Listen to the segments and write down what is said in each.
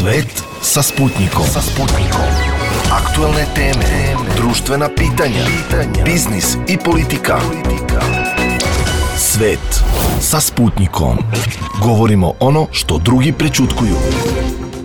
Svet sa Sputnikom. Aktuelne teme, društvena pitanja, biznis i politika. Svet sa Sputnikom. Govorimo ono što drugi prećutkuju.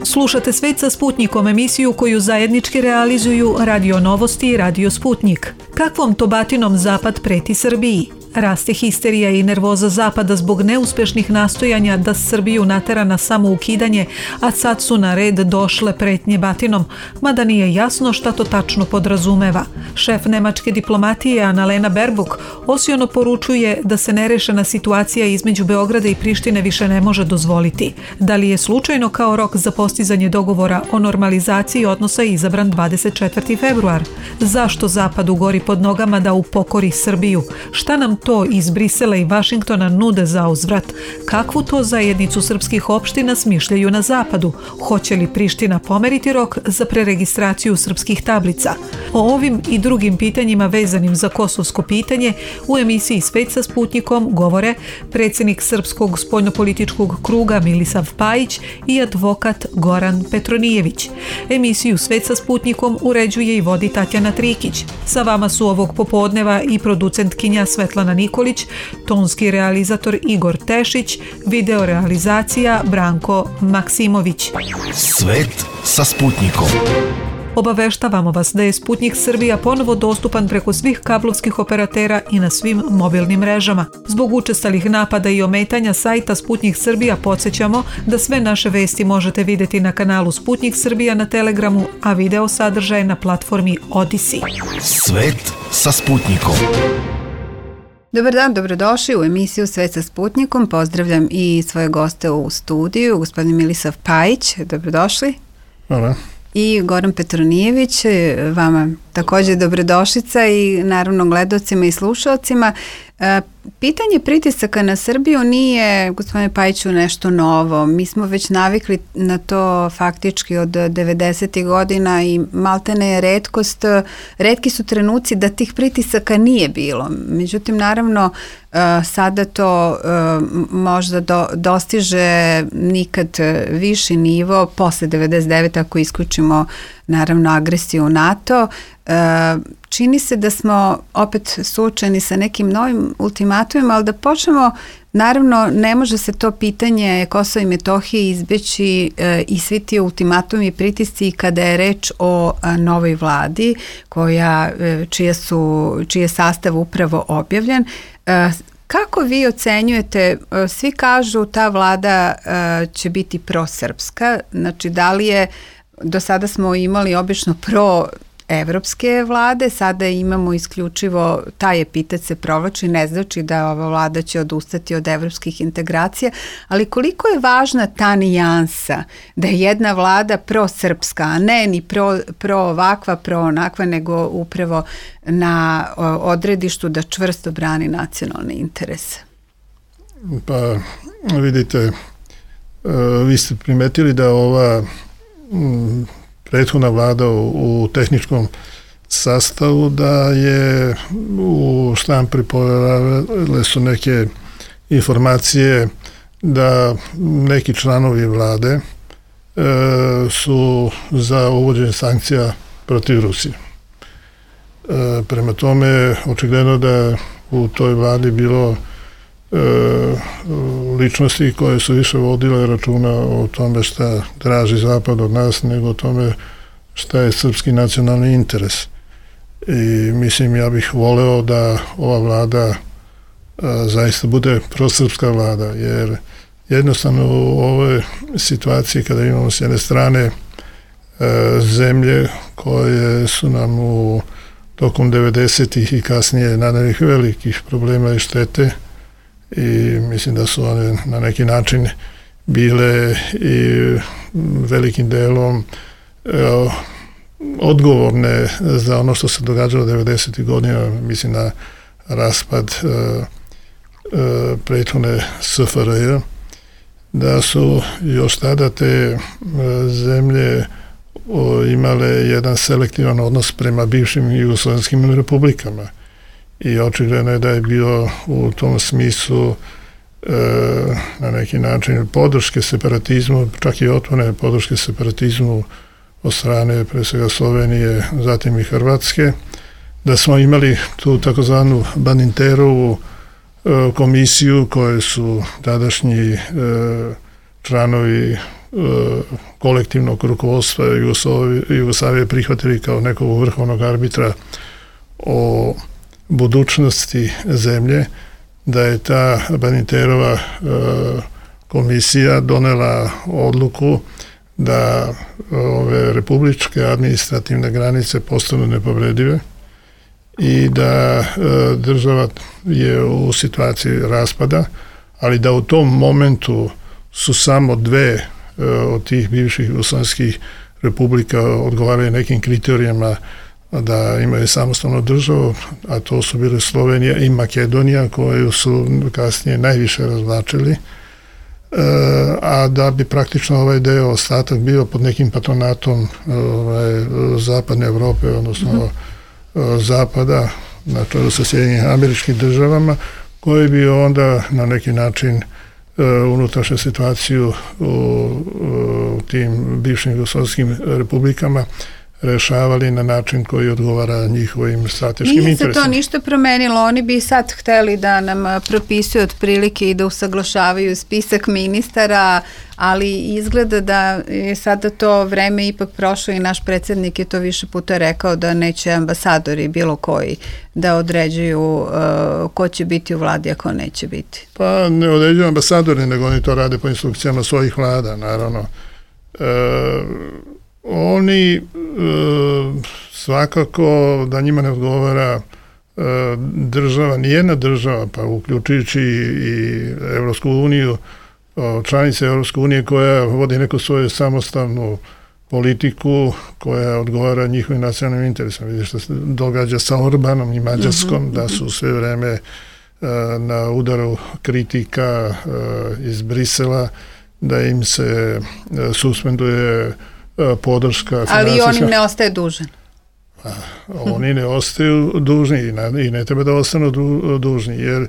Slušate Svet sa Sputnikom, emisiju koju zajednički realizuju Radio Novosti i Radio Sputnik. Kakvom to batinom Zapad preti Srbiji? Raste histerija i nervoza Zapada zbog neuspešnih nastojanja da Srbiju natera na samoukidanje, a sad su na red došle pretnje batinom, mada nije jasno šta to tačno podrazumeva. Šef nemačke diplomatije Annalena Baerbock osiono poručuje da se nerešena situacija između Beograda i Prištine više ne može dozvoliti. Da li je slučajno kao rok za postizanje dogovora o normalizaciji odnosa izabran 24. februar? Zašto Zapadu gori pod nogama da upokori Srbiju? Šta nam to iz Brisela i Vašingtona nude za uzvrat? Kakvu to zajednicu srpskih opština smišljaju na Zapadu? Hoće li Priština pomeriti rok za preregistraciju srpskih tablica? O ovim i drugim pitanjima vezanim za kosovsko pitanje u emisiji Svet sa Sputnikom govore predsjednik Srpskog spoljnopolitičkog kruga Milisav Pajić i advokat Goran Petronijević. Emisiju Svet sa Sputnikom uređuje i vodi Tatjana Trikić. Sa vama su ovog popodneva i producentkinja Svetlana Nikolić, tonski realizator Igor Tešić, video realizacija Branko Maksimović. Svet sa Sputnikom. Obaveštavamo vas da je Sputnik Srbija ponovo dostupan preko svih kablovskih operatera i na svim mobilnim mrežama. Zbog učestalih napada i ometanja sajta Sputnik Srbija podsjećamo da sve naše vesti možete vidjeti na kanalu Sputnik Srbija na Telegramu, a video sadržaj na platformi Odisi. Svet sa Sputnikom. Dobar dan, dobrodošli u emisiju Svet sa Sputnikom. Pozdravljam i svoje goste u studiju, gospodin Milisav Pajić, dobrodošli. Hvala. I Goran Petronijević, vama također dobrodošlica i naravno gledalcima i slušalcima. Pitanje pritisaka na Srbiju nije, gospodine Pajiću, nešto novo. Mi smo već navikli na to faktički od 90. godina i maltene je retkost. Retki su trenuci da tih pritisaka nije bilo. Međutim, naravno, sada to možda dostiže nikad viši nivo posle 99. ako isključimo naravno agresiju u NATO. Čini se da smo opet suočeni sa nekim novim ultimatumima, ali da počnemo, naravno ne može se to pitanje Kosova i Metohije izbeći i svi ti ultimatumi i pritisci kada je reč o novoj vladi čiji je sastav upravo objavljen. Kako vi ocenjujete, svi kažu ta vlada će biti prosrpska, znači da li je, do sada smo imali obično pro-evropske vlade, sada imamo isključivo taj epitetet se provlači, ne znači da ova vlada će odustati od evropskih integracija, ali koliko je važna ta nijansa da je jedna vlada prosrpska, a ne ni pro ovakva, pro onakva, nego upravo na odredištu da čvrsto brani nacionalne interese? Pa vidite, vi ste primetili da ova prethodna vlada u tehničkom sastavu da je u štampi pojavile su neke informacije da neki članovi vlade su za uvođenje sankcija protiv Rusije. Prema tome, očigledno da u toj vladi bilo ličnosti koje su više vodile računa o tome šta traži Zapad od nas nego o tome šta je srpski nacionalni interes. I mislim, ja bih voleo da ova vlada zaista bude prosrpska vlada, jer jednostavno u ovoj situaciji kada imamo s jedne strane zemlje koje su nam tokom 90-ih i kasnije naneli velikih problema i štete, i mislim da su one na neki način bile i velikim delom odgovorne za ono što se događalo 90. godina, mislim na raspad prethodne SFRJ, da su još tada te zemlje imale jedan selektivan odnos prema bivšim jugoslovenskim republikama. I očigledno je da je bilo u tom smislu na neki način podrške separatizmu, čak i otvorene podrške separatizmu od strane pre svega Slovenije, zatim i Hrvatske, da smo imali tu takozvanu Badinterovu komisiju koje su tadašnji članovi kolektivnog rukovodstva Jugoslavije prihvatili kao nekog vrhovnog arbitra o budućnosti zemlje, da je ta Badinterova komisija donela odluku da ove republičke administrativne granice postanu nepovredive i da država je u situaciji raspada, ali da u tom momentu su samo dve od tih bivših jugoslovenskih republika odgovaraju nekim kriterijama da imaju samostalnu državu, a to su bile Slovenija i Makedonija, koju su kasnije najviše razvlačili, a da bi praktično ovaj deo ostatak bio pod nekim patronatom zapadne Evrope, odnosno zapada, na čelu sa Sjedinjenim Američkim Državama, koji bi onda na neki način unutrašnju situaciju u tim bivšim jugoslovenskim republikama rešavali na način koji odgovara njihovim strateškim interesima. Nije se to ništa promenilo, oni bi sad hteli da nam propisuju otprilike i da usaglašavaju spisak ministara, ali izgleda da je sada to vreme ipak prošlo i naš predsjednik je to više puta rekao da neće ambasadori bilo koji da određuju ko će biti u vladi, a ko neće biti. Pa ne određuju ambasadori, nego oni to rade po instrukcijama svojih vlada, naravno. Oni svakako da njima ne odgovara država, nijedna država, pa uključujući i Evropsku uniju, članice Evropske unije koja vodi neku svoju samostalnu politiku koja odgovara njihovim nacionalnim interesom. Vidite što se događa sa Orbanom i Mađarskom, da su sve vreme na udaru kritika iz Brisela, da im se suspenduje podrška. Ali on im ne ostaje dužan. Oni ne ostaju dužni i ne treba da ostanu dužni, jer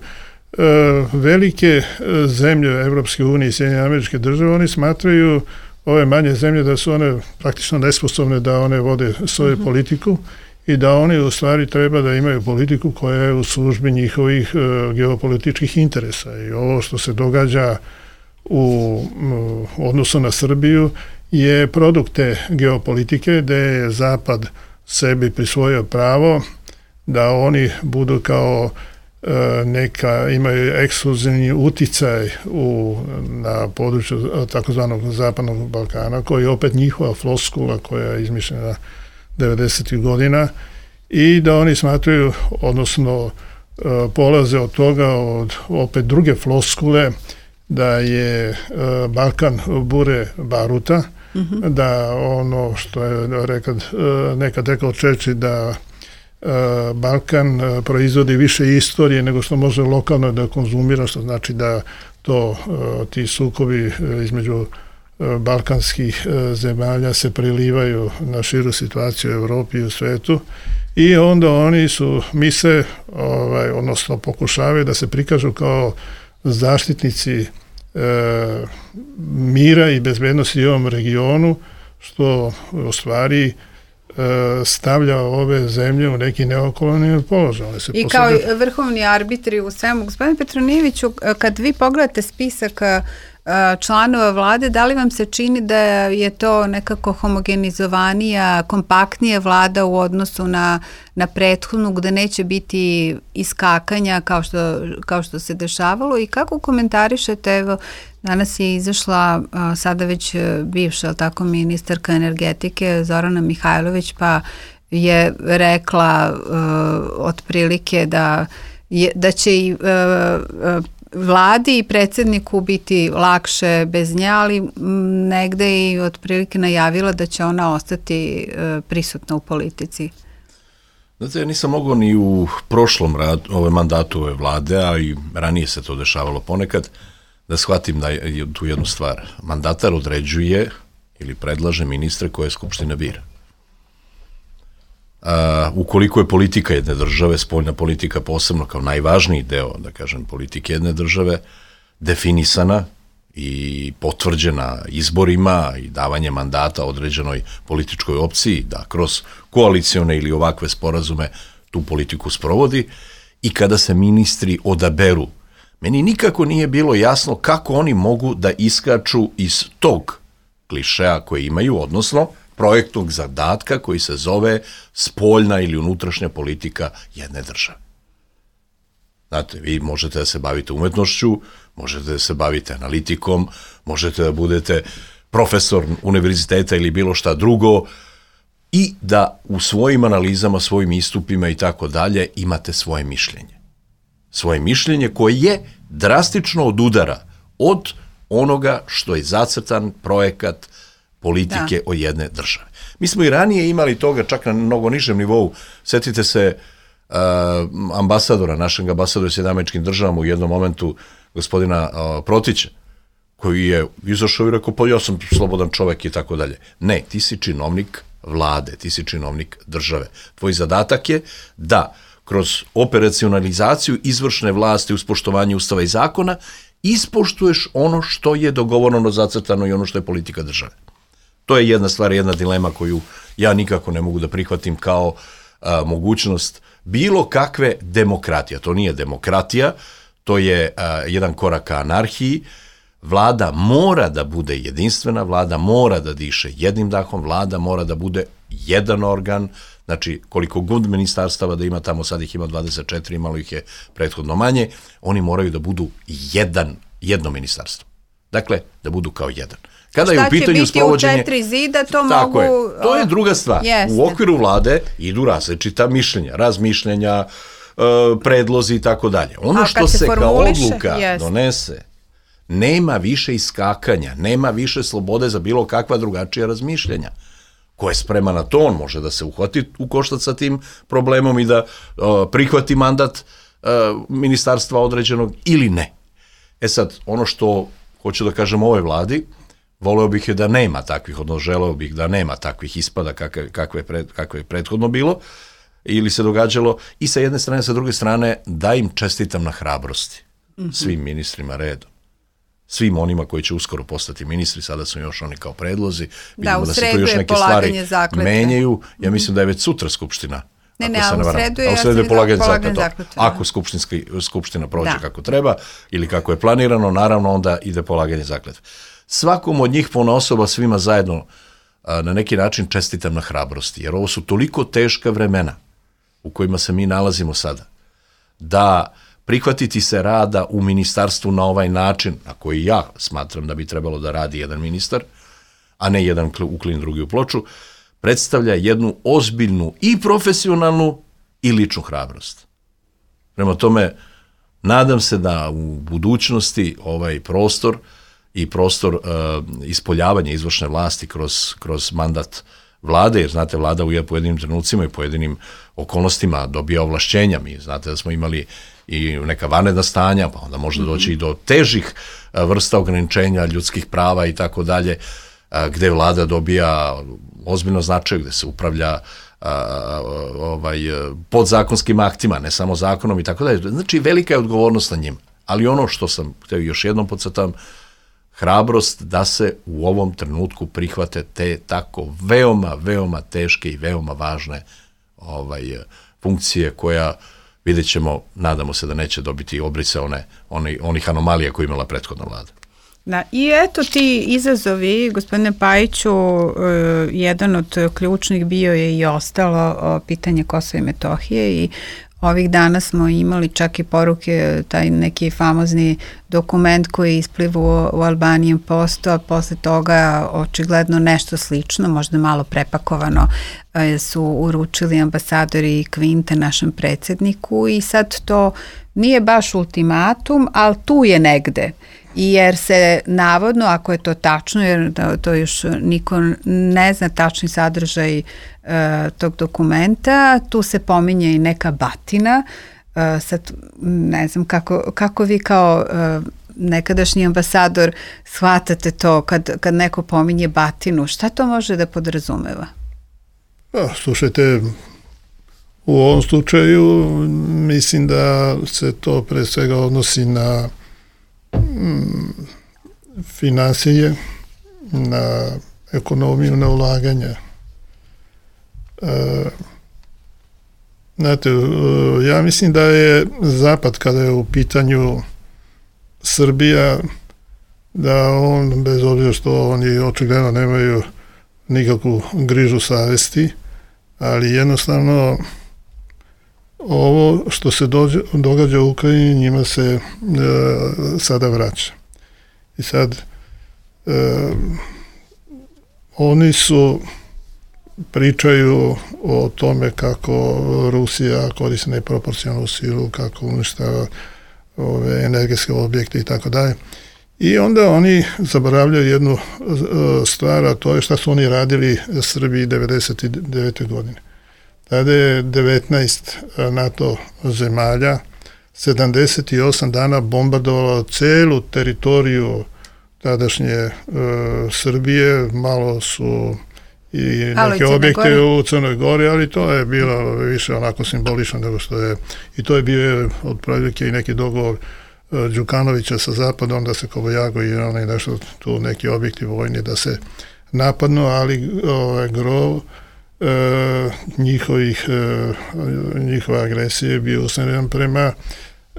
velike zemlje Evropske unije i Sjedinjene Američke Države, oni smatraju ove manje zemlje da su one praktično nesposobne da one vode svoju politiku i da oni u stvari treba da imaju politiku koja je u službi njihovih geopolitičkih interesa. I ovo što se događa u odnosu na Srbiju je produkt te geopolitike gde je Zapad sebi prisvojio pravo da oni budu kao imaju ekskluzivni uticaj na području takozvanog Zapadnog Balkana, koji je opet njihova floskula koja je izmišljena 90. godina i da oni smatraju, odnosno polaze od toga, od opet druge floskule, da je Balkan bure baruta, da ono što je nekad rekao Čerčil, da Balkan proizvodi više istorije nego što može lokalno da konzumira, što znači da ti sukobi između balkanskih zemalja se prilivaju na širu situaciju u Evropi i u svetu i onda oni misle, odnosno pokušavaju da se prikažu kao zaštitnici mira i bezbednosti u ovom regionu, što u stvari stavlja ove zemlje u neki neokolonijalni položaj. I kao vrhovni arbitri u svemu. Gospodine Petronijeviću, kad vi pogledate spisak članova vlade, da li vam se čini da je to nekako homogenizovanija, kompaktnija vlada u odnosu na prethodnu, gde neće biti iskakanja kao što se dešavalo i kako komentarišete, evo, danas je izašla sada već bivša, tako, ministarka energetike Zorana Mihajlović, pa je rekla otprilike da će i vladi i predsjedniku biti lakše bez nje, ali negde i otprilike najavila da će ona ostati prisutna u politici. Znate, ja nisam mogao ni u prošlom mandatu ove vlade, a i ranije se to dešavalo ponekad, da shvatim da je tu jednu stvar. Mandatar određuje ili predlaže ministre koje Skupština bira. Ukoliko je politika jedne države, spoljna politika posebno kao najvažniji deo, da kažem, politike jedne države, definisana i potvrđena izborima i davanje mandata određenoj političkoj opciji da kroz koalicione ili ovakve sporazume tu politiku sprovodi i kada se ministri odaberu. Meni nikako nije bilo jasno kako oni mogu da iskaču iz tog klišeja koje imaju, odnosno projektnog zadatka koji se zove spoljna ili unutrašnja politika jedne države. Znate, vi možete da se bavite umetnošću, možete da se bavite analitikom, možete da budete profesor univerziteta ili bilo šta drugo i da u svojim analizama, svojim istupima i tako dalje imate svoje mišljenje. Svoje mišljenje koje je drastično odudara od onoga što je zacrtan projekat politike o jedne države. Mi smo i ranije imali toga čak na mnogo nižem nivou. Sjetite se ambasadora, našeg ambasadora SAD u jednom momentu, gospodina Protića, koji je izašao i rekao, pa ja sam slobodan čovek i tako dalje. Ne, ti si činovnik vlade, ti si činovnik države. Tvoj zadatak je da kroz operacionalizaciju izvršne vlasti uz poštovanje ustava i zakona ispoštuješ ono što je dogovoreno, zacrtano i ono što je politika države. To je jedna stvar, jedna dilema koju ja nikako ne mogu da prihvatim kao mogućnost bilo kakve demokratije. To nije demokratija, to je jedan korak ka anarhiji. Vlada mora da bude jedinstvena, vlada mora da diše jednim dahom, vlada mora da bude jedan organ, znači koliko god ministarstava da ima tamo, sad ih ima 24, imalo ih je prethodno manje, oni moraju da budu jedno ministarstvo. Dakle, da budu kao jedan. Kada je u pitanju sprovođenje... Šta će biti u 4 zida, to tako mogu... je, to je druga stvar. U okviru vlade idu različita mišljenja, razmišljenja, predlozi i tako dalje. Ono što se kao odluka donese, nema više iskakanja, nema više slobode za bilo kakva drugačija razmišljenja. Ko je spreman na to, on može da se uhvati u koštac sa tim problemom i da prihvati mandat ministarstva određenog ili ne. E sad, ono što hoću da kažem ovoj vladi, voleo bih je da nema takvih, odnosno želeo bih da nema takvih ispada kakve je prethodno bilo ili se događalo i sa jedne strane, sa druge strane da im čestitam na hrabrosti. Svim ministrima redom. Svim onima koji će uskoro postati ministri, sada su još oni kao predlozi. Vidimo da se tu još neke stvari menjaju. Ja mislim da je već sutra skupština. U sredu je polaganje zakletve. Ako skupština prođe kako treba ili kako je planirano, naravno onda ide polaganje zakletve. Svakom od njih ponaosob, svima zajedno na neki način čestitam na hrabrosti, jer ovo su toliko teška vremena u kojima se mi nalazimo sada, da prihvatiti se rada u ministarstvu na ovaj način, na koji ja smatram da bi trebalo da radi jedan ministar, a ne jedan uklin drugi u ploču, predstavlja jednu ozbiljnu i profesionalnu i ličnu hrabrost. Prema tome, nadam se da u budućnosti ovaj prostor i prostor ispoljavanja izvršne vlasti kroz mandat vlade, jer znate, vlada u pojedinim trenucima i pojedinim okolnostima dobija ovlašćenja. Mi znate da smo imali i neka vanredna stanja, pa onda može doći i do težih vrsta ograničenja ljudskih prava i tako dalje, gde vlada dobija ozbiljno značaj, gde se upravlja podzakonskim aktima, ne samo zakonom i tako dalje. Znači, velika je odgovornost na njima. Ali ono što sam htio još jednom podcrtam, hrabrost da se u ovom trenutku prihvate te tako veoma teške i veoma važne funkcije koja, vidjet ćemo, nadamo se da neće dobiti obrise onih anomalija koje imala prethodna vlada. Da, i eto ti izazovi, gospodine Pajiću, jedan od ključnih bio je i ostalo pitanje Kosova i Metohije i ovih dana smo imali čak i poruke, taj neki famozni dokument koji je isplivao u Albanian Postu, a posle toga očigledno nešto slično, možda malo prepakovano, su uručili ambasadori Kvinte našem predsjedniku i sad to nije baš ultimatum, ali tu je negde. Jer se navodno, ako je to tačno, jer to još niko ne zna tačni sadržaj tog dokumenta, tu se pominje i neka batina. Sad ne znam kako vi kao nekadašnji ambasador shvatate to kad neko pominje batinu. Šta to može da podrazumeva? Slušajte, u ovom slučaju mislim da se to pre svega odnosi na finansije, na ekonomiju, na ulaganja. Znate, ja mislim da je Zapad, kada je u pitanju Srbija, da on, bez obzira što oni očigledno nemaju nikakvu grižu savesti, ali jednostavno ovo što se događa u Ukrajini njima se sada vraća. I sad oni pričaju o tome kako Rusija koristi neproporcionalnu silu, kako uništava ove energetske objekte i tako dalje. I onda oni zaboravljaju jednu stvar, a to je šta su oni radili Srbiji 1999. godine. Tada je 19 NATO zemalja 78 dana bombardovalo celu teritoriju tadašnje Srbije, malo su i neke objekte u Crnoj Gori, ali to je bilo više onako simbolično nego što je, i to je bio otprilike i neki dogovor Đukanovića sa Zapadom da se Kobojago i onaj nešto tu neki objekti vojni da se napadnu, ali gro njihova agresija je bio usmjeren prema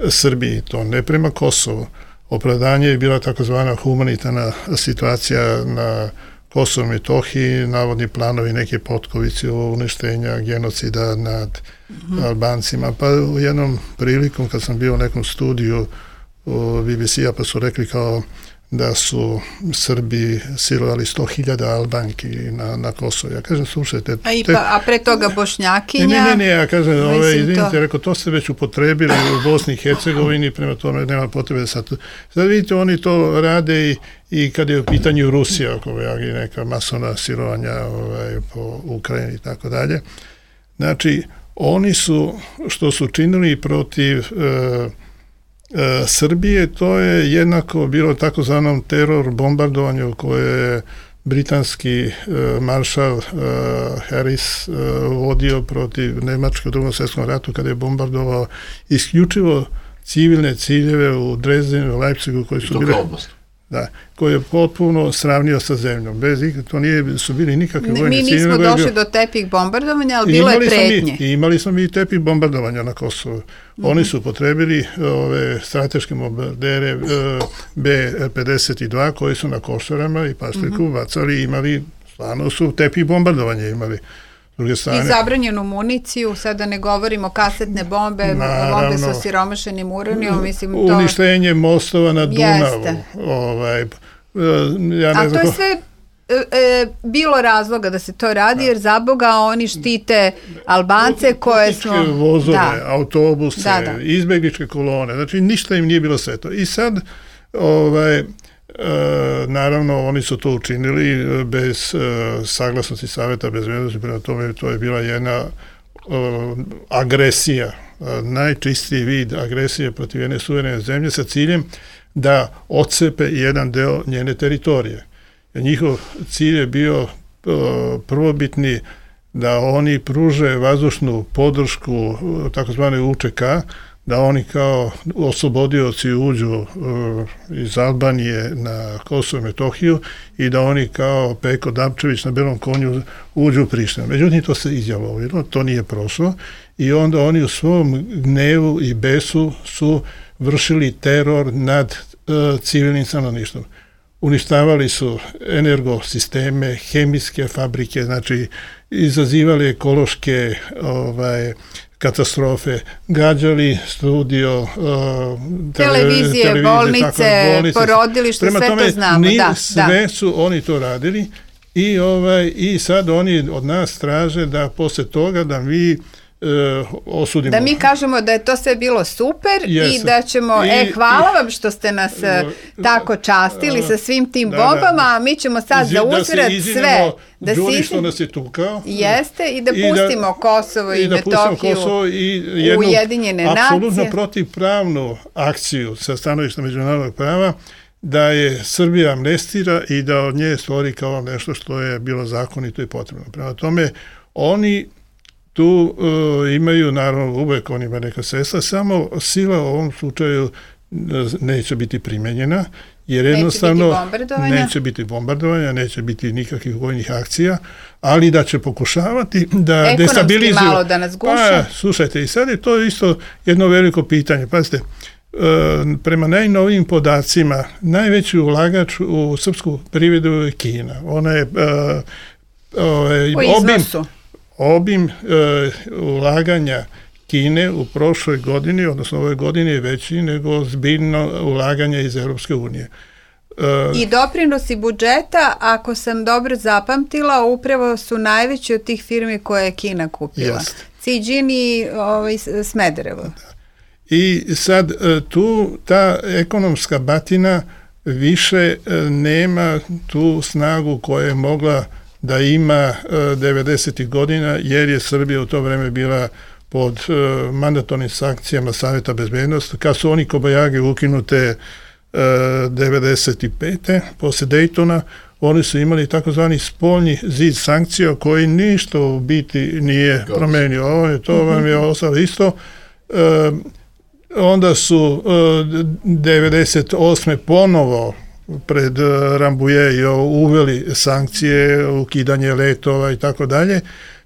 Srbiji, to ne prema Kosovu. Opravdanje je bila takozvana humanitarna situacija na Kosovo i Metohiji, navodni planovi neke potkovice o uništenja genocida nad Albancima. Pa u jednom prilikom kad sam bio u nekom studiju BBC-a pa su rekli kao da su Srbi silovali 100.000 Albanki na Kosovo. Ja kažem, slušajte... A pre toga Bošnjakinja... Ne, ja kažem, izvinite, rekao, to ste već upotrebili u Bosni i Hercegovini, prema tome nema potrebe sad. Sad vidite, oni to rade i kad je u pitanju Rusija, oko neka masovna silovanja po Ukrajini i tako dalje. Znači, oni su, što su činili protiv... Srbije, to je jednako bilo takozvanom teror bombardovanju koje je britanski maršal Harris vodio protiv Nemačke u Drugom svjetskom ratu kada je bombardovao isključivo civilne ciljeve u Dresdenu, Leipzigu koji su bile... Da, koji je potpuno sravnio sa zemljom. To su bili nikakve vojne cilje. Mi nismo došli do tepih bombardovanja, ali bilo je pretnje. Imali smo i tepih bombardovanja na Kosovu. Oni su potrebili ove strateške bombardere B-52 koji su na Košarama i Paštriku bacali, imali, stvarno su tepih bombardovanja imali. I zabranjenu municiju, sada ne govorimo kasetne bombe, bombe sa osiromašenim uranijom, mislim to... Uništenje mostova na Dunavu. A to je sve bilo razloga da se to radi, jer za Boga oni štite Albance koje smo... Vozove, autobuse, izbegličke kolone, znači ništa im nije bilo sve to. I sad, naravno, oni su to učinili bez saglasnosti Saveta bezbednosti, prema tome to je bila jedna agresija, najčistiji vid agresije protiv jedne suverene zemlje sa ciljem da otcepe jedan deo njene teritorije. Njihov cilj je bio prvobitni da oni pruže vazdušnu podršku takozvane UČK, da oni kao oslobodioci uđu iz Albanije na Kosovo i Metohiju i da oni kao Peko Dapčević na belom konju uđu u Prištinu. Međutim, to se izjalovilo, to nije prošlo i onda oni u svom gnevu i besu su vršili teror nad civilnim stanovništvom. Uništavali su energosisteme, hemijske fabrike, znači izazivali ekološke katastrofe, gađali studio, televizije, bolnice, porodilište, sve to znamo. Sve su oni to radili i sad oni od nas traže da posle toga da mi osudimo. Da mi kažemo da je to sve bilo super i da ćemo, hvala vam što ste nas tako častili sa svim tim bombama, a mi ćemo sad za uzvrat sve da se izvinemo što nas je tukao. Jeste, i da pustimo Kosovo i Metohiju u Ujedinjene nacije. Apsolutno protivpravnu akciju sa stanovišta međunarodnog prava da je Srbija amnestira i da od nje stvori kao nešto što je bilo zakonito i potrebno. Prema tome, oni tu imaju, naravno, uvek on ima neka sredstva, samo sila u ovom slučaju neće biti primenjena, jer jednostavno neće biti bombardovanja, neće biti nikakvih vojnih akcija, ali da će pokušavati da destabilizuju. Ekonomski malo da nas guše. Slušajte, i sad je to isto jedno veliko pitanje. Pazite, prema najnovijim podacima, najveći ulagač u srpsku privredu je Kina. Ona je obim ulaganja Kine u prošloj godini, odnosno ove godine je veći nego zbiljno ulaganje iz Europske unije. I doprinosi budžeta, ako sam dobro zapamtila, upravo su najveći od tih firmi koje je Kina kupila. Zijin i Smederevo. I sad tu ta ekonomska batina više nema tu snagu koja je mogla da ima 90. godina, jer je Srbija u to vreme bila pod mandatornim sankcijama Saveta bezbednosti. Kad su oni Kobajage ukinute 95. posle Daytona, oni su imali takozvani spoljni zid sankcija koji ništa u biti nije promenio. To vam je ostalo isto. Onda su 98. ponovo pred Rambuje uveli sankcije, ukidanje letova i tako dalje.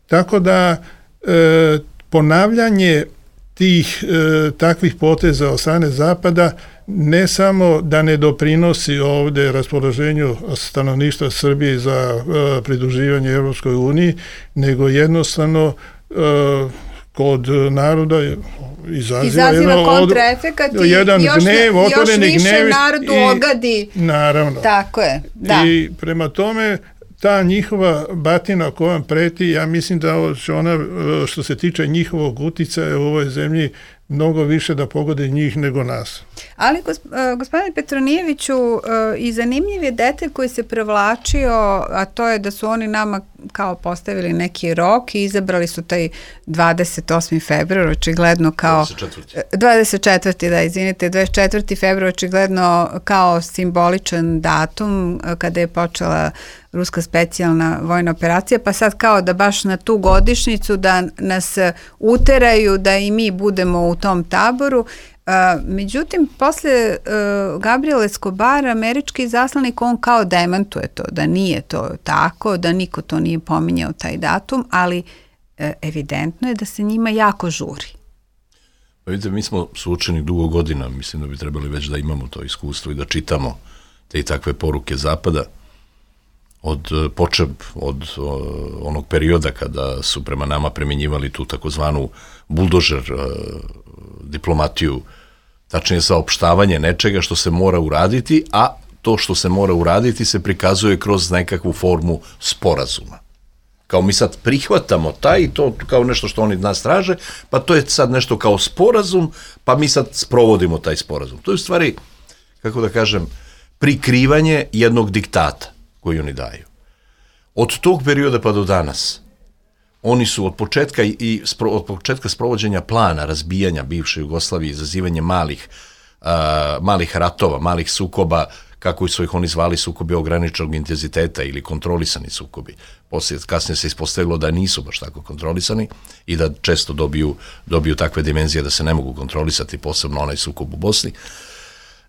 Tako da ponavljanje tih takvih poteza od strane Zapada ne samo da ne doprinosi ovde raspoloženju stanovništva Srbije za pridruživanje Evropskoj uniji, nego jednostavno kod naroda izaziva kontraefekat i još više narodu ogadi. Naravno. Tako je, da. I prema tome, ta njihova batina kojom preti, ja mislim da će ona, što se tiče njihovog uticaja u ovoj zemlji, mnogo više da pogode njih nego nas. Ali, gospodine Petronijeviću, i zanimljiv je detalj koji se prevlačio, a to je da su oni nama kao postavili neki rok i izabrali su taj 28. februar, očigledno kao... 24. da, izvinite, 24. februar, očigledno kao simboličan datum kada je počela ruska specijalna vojna operacija, pa sad kao da baš na tu godišnjicu da nas uteraju da i mi budemo u tom taboru. Međutim, posle Gabriela Escobara, američki zaslanik, on kao demantuje to, da nije to tako, da niko to nije pominjao taj datum, ali evidentno je da se njima jako žuri. Pa vidite, mi smo suočeni dugo godina, mislim da bi trebali već da imamo to iskustvo i da čitamo te i takve poruke Zapada, od onog perioda kada su prema nama primjenjivali tu takozvanu buldožer diplomatiju, tačnije saopštavanje nečega što se mora uraditi, a to što se mora uraditi se prikazuje kroz nekakvu formu sporazuma. Kao mi sad prihvatamo taj, to kao nešto što oni od nas traže, pa to je sad nešto kao sporazum, pa mi sad sprovodimo taj sporazum. To je u stvari, kako da kažem, prikrivanje jednog diktata koji oni daju. Od tog perioda pa do danas, oni su od početka sprovođenja plana razbijanja bivše Jugoslavije, izazivanje malih ratova, malih sukoba, kako su ih oni zvali sukobi ograničenog intenziteta ili kontrolisani sukobi. Kasnije se ispostavilo da nisu baš tako kontrolisani i da često dobiju takve dimenzije da se ne mogu kontrolisati, posebno onaj sukob u Bosni.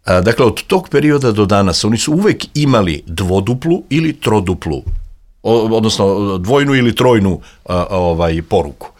Dakle, od tog perioda do danas oni su uvek imali dvoduplu ili troduplu, odnosno dvojnu ili trojnu poruku.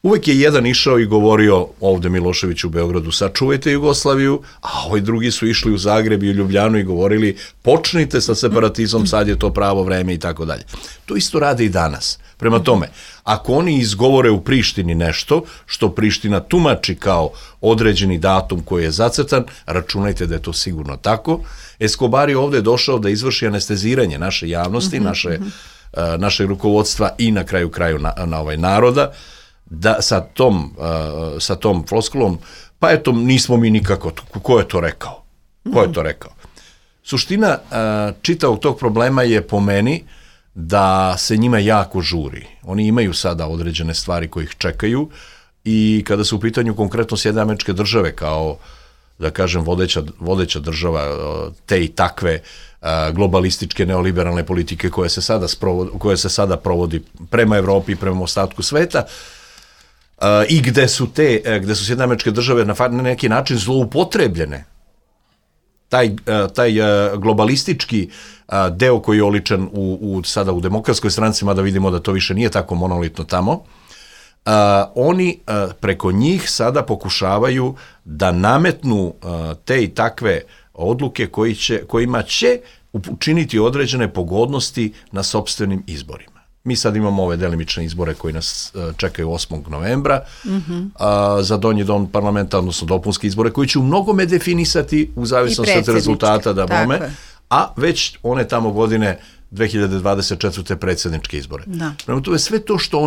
Uvek je jedan išao i govorio ovde Milošević u Beogradu, sačuvajte Jugoslaviju, a ovi drugi su išli u Zagreb i u Ljubljanu i govorili počnite sa separatizmom, sad je to pravo vreme i tako dalje. To isto rade i danas. Prema tome, ako oni izgovore u Prištini nešto što Priština tumači kao određeni datum koji je zacrtan, računajte da je to sigurno tako. Escobar je ovde došao da izvrši anesteziranje naše javnosti, našeg rukovodstva i na kraju na ovaj naroda, da sa tom floskulom, pa eto, nismo mi nikako, ko je to rekao? Ko je to rekao? Suština čitavog tog problema je po meni da se njima jako žuri. Oni imaju sada određene stvari koje ih čekaju i kada su u pitanju konkretno Sjedinjene Američke Države kao, da kažem, vodeća država te i takve globalističke neoliberalne politike koje se sada provodi prema Evropi i prema ostatku sveta, i gde su Sjedinjene Američke Države na neki način zloupotrebljene taj globalistički deo koji je oličen sada u Demokratskoj stranci, mada vidimo da to više nije tako monolitno tamo, oni preko njih sada pokušavaju da nametnu te i takve odluke kojima će učiniti određene pogodnosti na sopstvenim izborima. Mi sad imamo ove delimične izbore koji nas čekaju 8. novembra za donji dom parlamenta, odnosno dopunske izbore koji će u mnogome definisati u zavisnosti od rezultata da bome, a već one tamo godine 2024. predsjedničke izbore. Prema tome, sve to što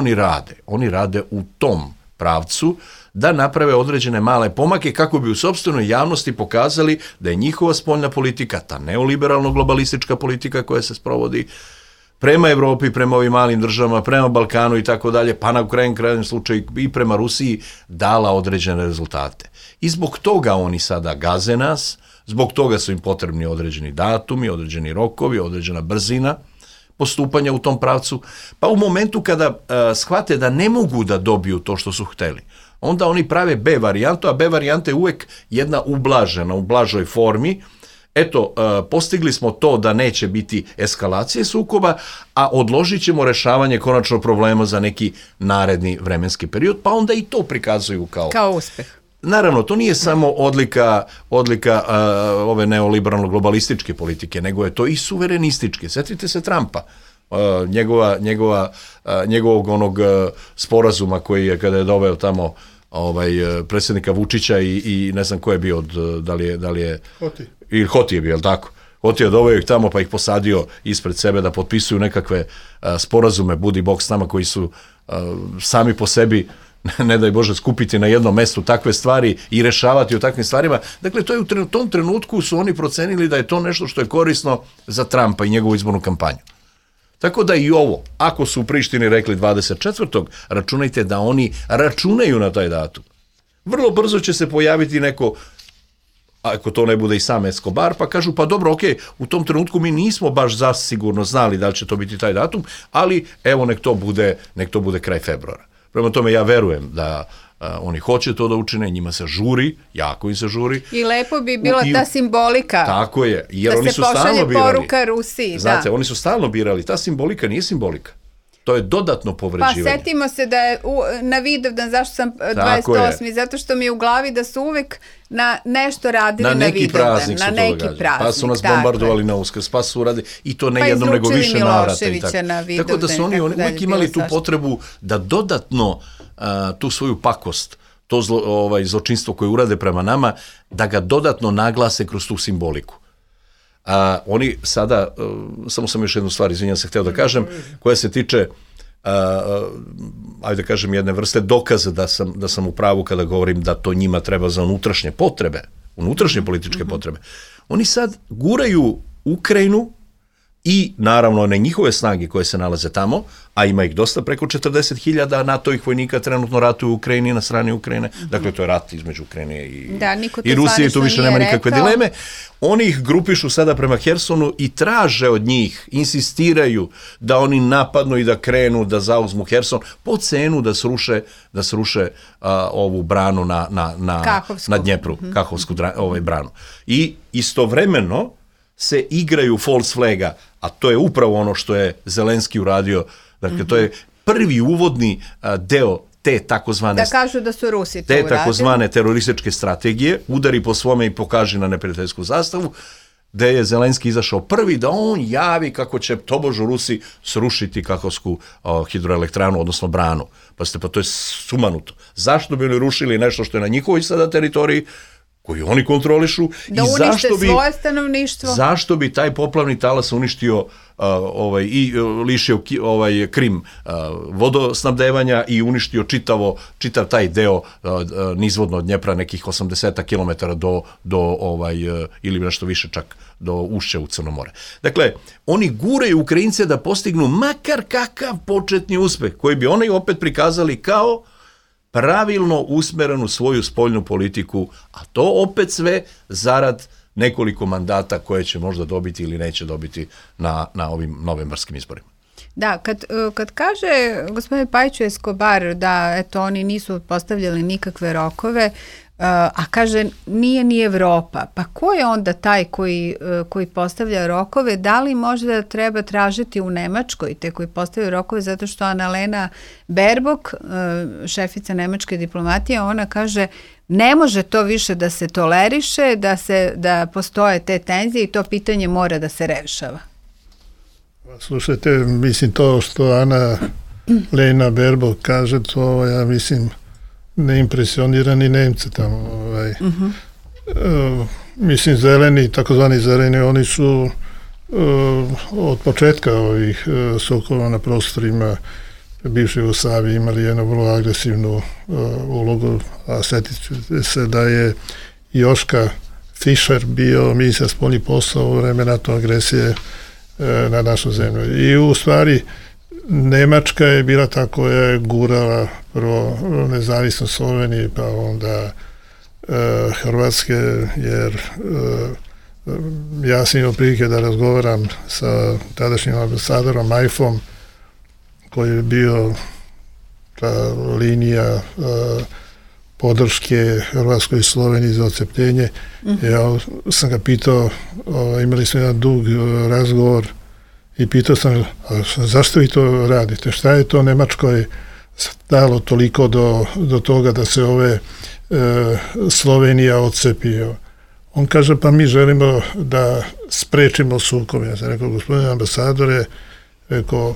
oni rade u tom pravcu da naprave određene male pomake kako bi u sopstvenoj javnosti pokazali da je njihova spoljna politika, ta neoliberalno-globalistička politika koja se sprovodi prema Evropi, prema ovim malim državama, prema Balkanu i tako dalje, pa na krajnjem slučaju i prema Rusiji, dala određene rezultate. I zbog toga oni sada gaze nas, zbog toga su im potrebni određeni datumi, određeni rokovi, određena brzina postupanja u tom pravcu, pa u momentu kada shvate da ne mogu da dobiju to što su hteli, onda oni prave B varijantu, a B varijanta je uvek jedna ublažena, u blažoj formi. Eto, postigli smo to da neće biti eskalacije sukoba, a odložit ćemo rešavanje konačno problema za neki naredni vremenski period, pa onda i to prikazuju kao uspeh. Naravno, to nije samo odlika ove neoliberalno-globalističke politike, nego je to i suverenističke. Sjetite se Trumpa, njegovog onog sporazuma koji je, kada je doveo tamo predsjednika Vučića i ne znam ko je bio, da li je Hoti je bio, je li tako? Hoti je doveo ih tamo pa ih posadio ispred sebe da potpisuju nekakve sporazume, budi bog s nama, koji su sami po sebi, ne daj Bože, skupiti na jednom mestu takve stvari i rešavati o takvim stvarima. Dakle, to je u tom trenutku su oni procenili da je to nešto što je korisno za Trumpa i njegovu izbornu kampanju. Tako da i ovo, ako su u Prištini rekli 24. računajte da oni računaju na taj datum. Vrlo brzo će se pojaviti neko, ako to ne bude i sam Escobar, pa kažu, pa dobro, ok, u tom trenutku mi nismo baš zasigurno znali da li će to biti taj datum, ali evo nek to bude kraj februara. Prema tome ja verujem da oni hoće to da učine, njima se žuri, jako im se žuri. I lepo bi bila ta simbolika. Tako je, jer da oni su stalno birali. Da se pošalje poruka Rusiji. Znate, oni su stalno birali, ta simbolika nije simbolika. To je dodatno povređivanje. Pa setimo se da je na Vidovdan, zašto sam 28. Zato što mi je u glavi da su uvek na nešto radili na Vidovdan. Na neki praznik. Pa su nas bombardovali na Uskrs, pa su radili, i to ne jednom nego više navrata. Tako da su oni uvek imali tu potrebu da dodatno tu svoju pakost, to zločinstvo koje urade prema nama, da ga dodatno naglase kroz tu simboliku. Oni sada, samo sam još jednu stvar, izvinjam se, hteo da kažem, koja se tiče, ajde da kažem, jedne vrste dokaza da sam u pravu kada govorim da to njima treba za unutrašnje potrebe, unutrašnje političke potrebe. Oni sad guraju Ukrajinu i naravno one njihove snage koje se nalaze tamo, a ima ih dosta, preko 40.000 NATO-ih vojnika trenutno ratuju u Ukrajini, na strani Ukrajine. Dakle, to je rat između Ukrajine i Rusije, tu više nema nikakve dileme. Oni ih grupišu sada prema Hersonu i traže od njih, insistiraju da oni napadnu i da krenu, da zauzmu Herson, po cenu da sruše ovu branu na Dnjepru, Kahovsku branu. I istovremeno se igraju false flaga, a to je upravo ono što je Zelenski uradio. Dakle, to je prvi uvodni deo te takozvane... Da kažu da su Rusi to uradili. Te takozvane terorističke strategije, udari po svome i pokaži na neprijateljsku zastavu, gde je Zelenski izašao prvi da on javi kako će tobožu Rusi srušiti Kahovsku hidroelektranu, odnosno branu. Pa to je sumanuto. Zašto bi oni rušili nešto što je na njihovoj sada teritoriji, koju oni kontrolišu, da unište svoje stanovništvo. Zašto bi taj poplavni talas uništio i lišio Krim vodosnabdevanja i uništio čitav taj deo nizvodno od Dnjepra, nekih 80 km do ili nešto više čak do ušća u Crno more. Dakle, oni guraju Ukrajince da postignu makar kakav početni uspeh, koji bi oni opet prikazali kao pravilno usmerenu svoju spoljnu politiku, a to opet sve zarad nekoliko mandata koje će možda dobiti ili neće dobiti na ovim novembarskim izborima. Da, kad kaže gospodin Pajiću Escobar da eto oni nisu postavljali nikakve rokove, a kaže nije ni Evropa. Pa ko je onda taj koji postavlja rokove? Da li možda treba tražiti u Nemačkoj te koji postavljaju rokove, zato što Annalena Baerbock, šefica nemačke diplomatije, ona kaže ne može to više da se toleriše, da postoje te tenzije i to pitanje mora da se rešava. Slušajte, mislim to što Annalena Baerbock kaže, to ja mislim ne impresionira ni Nemce tamo. Mislim zeleni, takozvani zeleni, oni su od početka ovih sukoba na prostorima bivše Jugoslavije imali jednu vrlo agresivnu ulogu, a sjetit se da je Joška Fischer bio ministar spoljnih poslova u vreme NATO agresije na našu zemlju. I u stvari Nemačka je bila ta koja je gurala prvo nezavisnost Slovenije, pa onda Hrvatske, jer ja sam imao prilike da razgovaram sa tadašnjim ambasadorom Majfom, koji je bio ta linija podrške Hrvatskoj i Sloveniji za odcepljenje. Ja sam ga pitao, imali smo jedan dug razgovor i pitao sam, zašto vi to radite? Šta je to Nemačkoj stalo toliko do toga da se Slovenija odcepio? On kaže, pa mi želimo da sprečimo sukob. Ja sam rekao, gospodine ambasadore, rekao,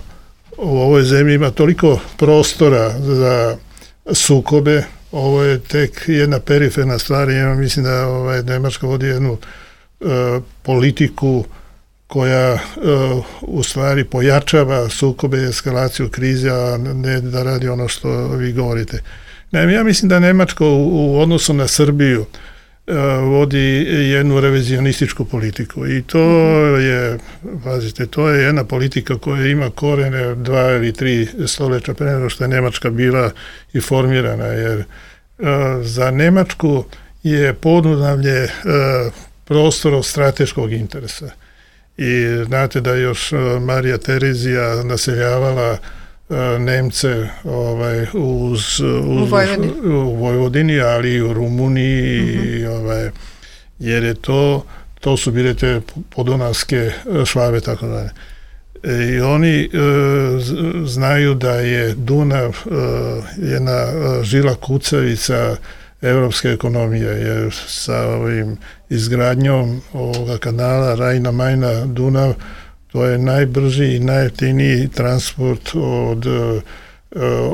u ovoj zemlji ima toliko prostora za sukobe, ovo je tek jedna periferna stvar. Ja mislim da Nemačka vodi jednu politiku koja u stvari pojačava sukobe i eskalaciju krize, a ne da radi ono što vi govorite. Naime, ja mislim da Nemačka u odnosu na Srbiju vodi jednu revizionističku politiku i to je, pazite, to je jedna politika koja ima korene 2 ili 3 stoljeća pre nego što je Nemačka bila i formirana, jer za Nemačku je Podunavlje prostor od strateškog interesa. I znate da je još Marija Terezija naseljavala Nemce u Vojvodini, ali i u Rumuniji, jer je to su bile te podunavske švabe, tako dalje. I oni znaju da je Dunav jedna žila kucavica evropske ekonomije, jer sa ovim izgradnjom ovoga kanala Rajna-Majna-Dunav, to je najbrži i najjeftiniji transport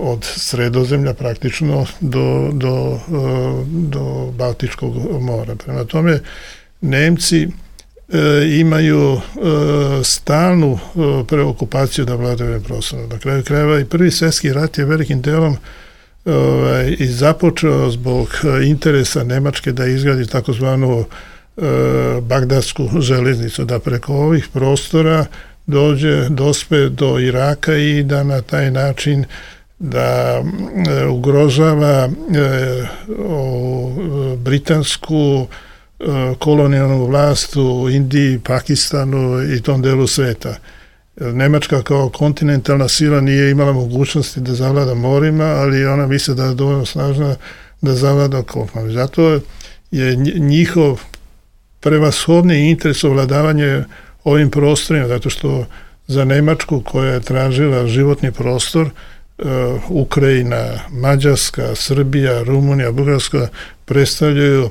od Sredozemlja praktično do Baltičkog mora. Prema tome, Nemci imaju stalnu preokupaciju da vladaju ovim prostorom. Na kraju krajeva i Prvi svjetski rat je velikim delom i započeo zbog interesa Nemačke da izgradi takozvanu Bagdadsku železnicu, da preko ovih prostora dospe do Iraka i da na taj način da ugrožava britansku kolonijalnu vlast u Indiji, Pakistanu i tom delu sveta. Nemačka kao kontinentalna sila nije imala mogućnosti da zavlada morima, ali ona misle da je dovoljno snažna da zavlada kopnom. Zato je njihov prevashodni interes ovladavanje ovim prostorima, zato što za Nemačku koja je tražila životni prostor, Ukrajina, Mađarska, Srbija, Rumunija, Bugarska predstavljaju,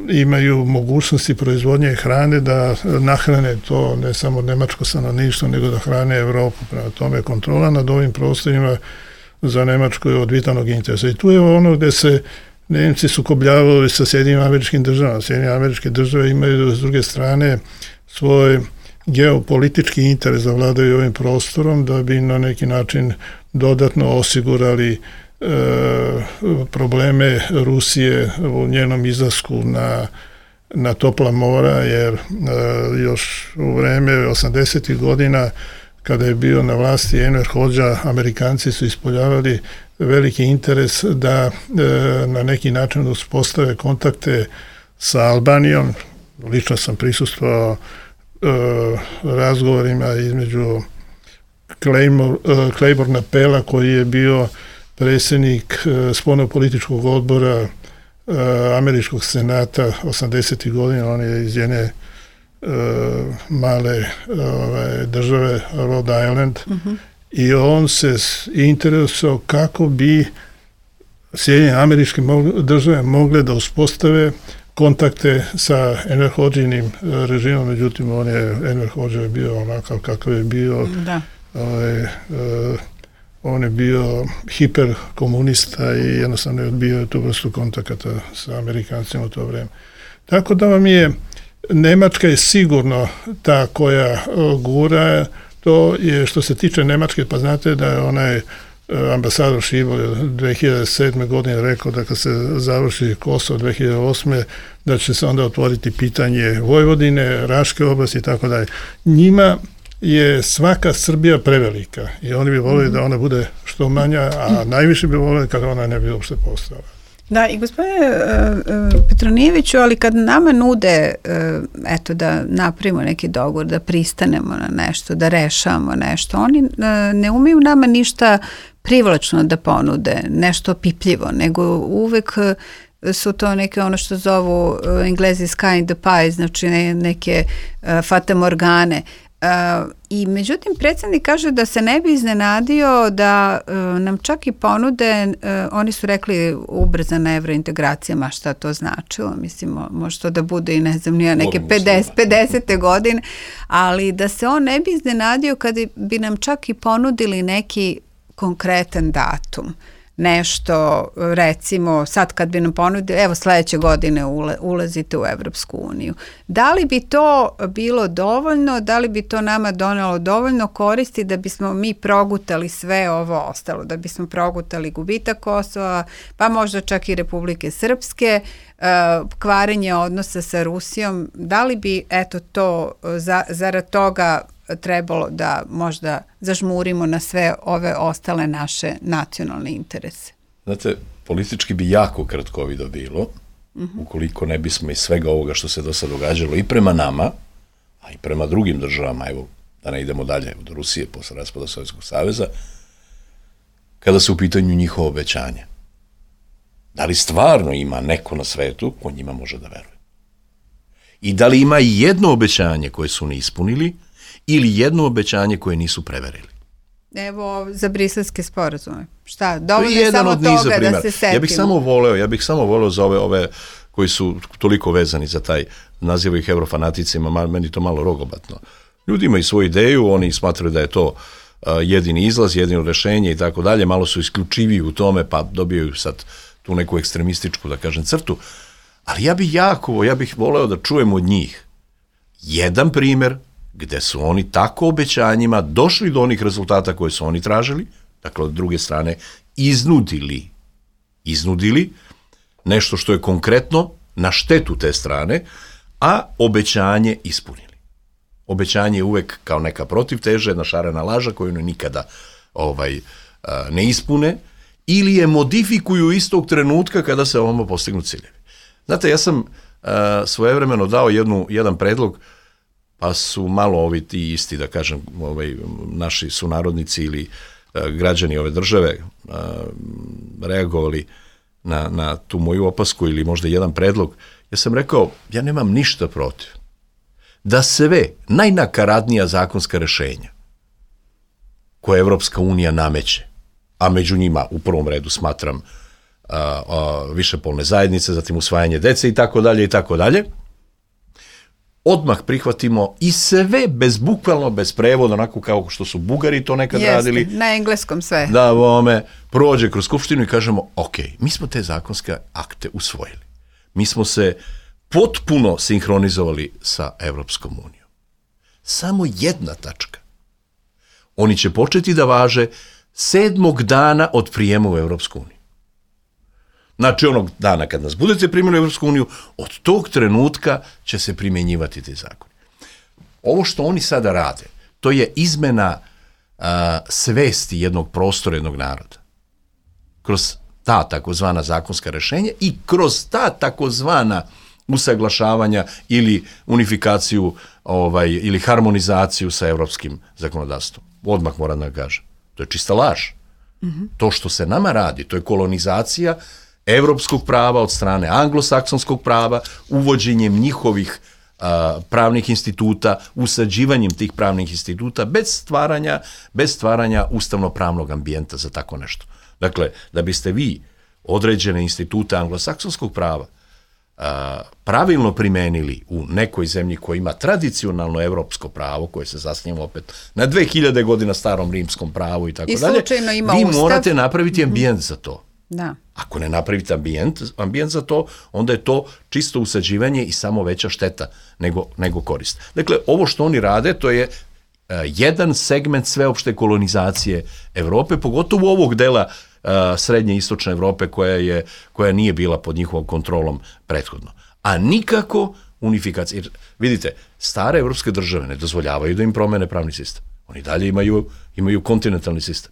imaju mogućnosti proizvodnje hrane da nahrane to ne samo nemačko stanovništvo, nego da hrane Evropu. Prema tome, kontrola nad ovim prostorima za Nemačku je od vitalnog interesa. I tu je ono gde se Nemci sukobljavaju sa Sjedinim Američkim Državama. Sjedinjene Američke Države imaju s druge strane svoj geopolitički interes da vladaju ovim prostorom, da bi na neki način dodatno osigurali probleme Rusije u njenom izlasku na topla mora, jer još u vreme 80. godina kada je bio na vlasti Enver Hodža, Amerikanci su ispoljavali veliki interes da na neki način uspostave kontakte sa Albanijom. Lično sam prisustvovao razgovorima između Claiborna Pella, koji je bio predsjednik spoljnopolitičkog odbora američkog senata 80. godina, on je iz jedne male države Rhode Island, i on se interesovao kako bi Sjedinjene američke države mogle da uspostave kontakte sa Enver Hodžinim režimom, međutim Enver Hodža je bio onakav kakav je bio. Da. On je bio hiperkomunista i jednostavno je odbio tu vrstu kontakata sa Amerikancima u to vreme. Tako da vam je, Nemačka je sigurno ta koja gura, to je što se tiče Nemačke, pa znate da je onaj ambasador Šibol 2007. godine rekao da kad se završi Kosovo 2008. da će se onda otvoriti pitanje Vojvodine, Raške oblasti i tako dalje. Njima je svaka Srbija prevelika i oni bi volili da ona bude što manja, a najviše bi volili kada ona ne bi uopšte postala. Da, i gospodine Petronijeviću, ali kad nama nude eto da napravimo neki dogovor, da pristanemo na nešto, da rešavamo nešto, oni ne umeju nama ništa privlačno da ponude, nešto pipljivo, nego uvek su to neke ono što zovu Englezi sky in the pie, znači neke fatamorgane. I međutim predsjednik kaže da se ne bi iznenadio da nam čak i ponude, oni su rekli ubrzana evrointegracija, ma šta to značilo, mislim može to da bude i ne znam nije neke 50. godine, ali da se on ne bi iznenadio kada bi nam čak i ponudili neki konkretan datum. Nešto, recimo, sad kad bi nam ponudili, evo sledeće godine ulazite u Evropsku uniju. Da li bi to bilo dovoljno, da li bi to nama donelo dovoljno koristi da bismo mi progutali sve ovo ostalo, da bismo progutali gubitak Kosova, pa možda čak i Republike Srpske, kvarenje odnosa sa Rusijom, da li bi eto to zarad toga trebalo da možda zažmurimo na sve ove ostale naše nacionalne interese? Znate, politički bi jako kratkovido bilo, ukoliko ne bismo iz svega ovoga što se do sad događalo i prema nama, a i prema drugim državama, evo, da ne idemo dalje od Rusije posle raspada Sovjetskog saveza, kada su u pitanju njihova obećanja. Da li stvarno ima neko na svetu ko njima može da veruje? I da li ima i jedno obećanje koje su ne ispunili, ili jedno obećanje koje nisu preverili? Evo, za briselske sporazume. Šta? Dovoljno je samo toga da se setimo. Ja bih samo voleo za ove koji su toliko vezani za taj, naziva ih eurofanaticima, meni to malo rogobatno. Ljudi imaju svoju ideju, oni smatraju da je to jedini izlaz, jedino rešenje i tako dalje, malo su isključiviji u tome, pa dobijaju sad tu neku ekstremističku, da kažem, crtu, ali ja bih voleo da čujem od njih jedan primer gde su oni tako obećanjima došli do onih rezultata koje su oni tražili, dakle, od druge strane, iznudili nešto što je konkretno na štetu te strane, a obećanje ispunili. Obećanje je uvek kao neka protivteža, jedna šarena laža koju nikada ne ispune, ili je modifikuju istog trenutka kada se ovamo postignu ciljevi. Znate, ja sam svojevremeno dao jedan predlog, pa su malo ovi ti isti, da kažem, naši sunarodnici ili građani ove države reagovali na tu moju opasku ili možda jedan predlog. Ja sam rekao, ja nemam ništa protiv da sve najnakaradnija zakonska rešenja koje Evropska unija nameće, a među njima u prvom redu smatram višepolne zajednice, zatim usvajanje dece i tako dalje, odmah prihvatimo i sve bukvalno bez prevoda, onako kao što su Bugari to nekad radili. Jeste, na engleskom sve. Da, prođe kroz skupštinu i kažemo, ok, mi smo te zakonske akte usvojili. Mi smo se potpuno sinhronizovali sa Evropskom unijom. Samo jedna tačka. Oni će početi da važe 7. dana od prijema u Evropsku uniju. Znači, onog dana kad nas budete primili u Evropsku uniju, od tog trenutka će se primjenjivati ti zakoni. Ovo što oni sada rade, to je izmena svesti jednog prostora, jednog naroda. Kroz ta takozvana zakonska rešenja i kroz ta takozvana usaglašavanja ili unifikaciju ili harmonizaciju sa evropskim zakonodavstvom. Odmah moram da kažem. To je čista laž. To što se nama radi, to je kolonizacija evropskog prava, od strane anglosaksonskog prava, uvođenjem njihovih pravnih instituta, usađivanjem tih pravnih instituta bez stvaranja ustavno-pravnog ambijenta za tako nešto. Dakle, da biste vi određene institute anglosaksonskog prava pravilno primenili u nekoj zemlji koja ima tradicionalno evropsko pravo, koje se zasniva opet na 2000 godina starom rimskom pravu i tako dalje, vi morate napraviti ambijent za to. Da. Ako ne napravite ambijent za to, onda je to čisto usađivanje i samo veća šteta nego korist. Dakle, ovo što oni rade, to je jedan segment sveopšte kolonizacije Evrope, pogotovo ovog dela srednje i istočne Evrope koja nije bila pod njihovom kontrolom prethodno. A nikako unifikacija. Jer, vidite, stare evropske države ne dozvoljavaju da im promene pravni sistem. Oni dalje imaju kontinentalni sistem.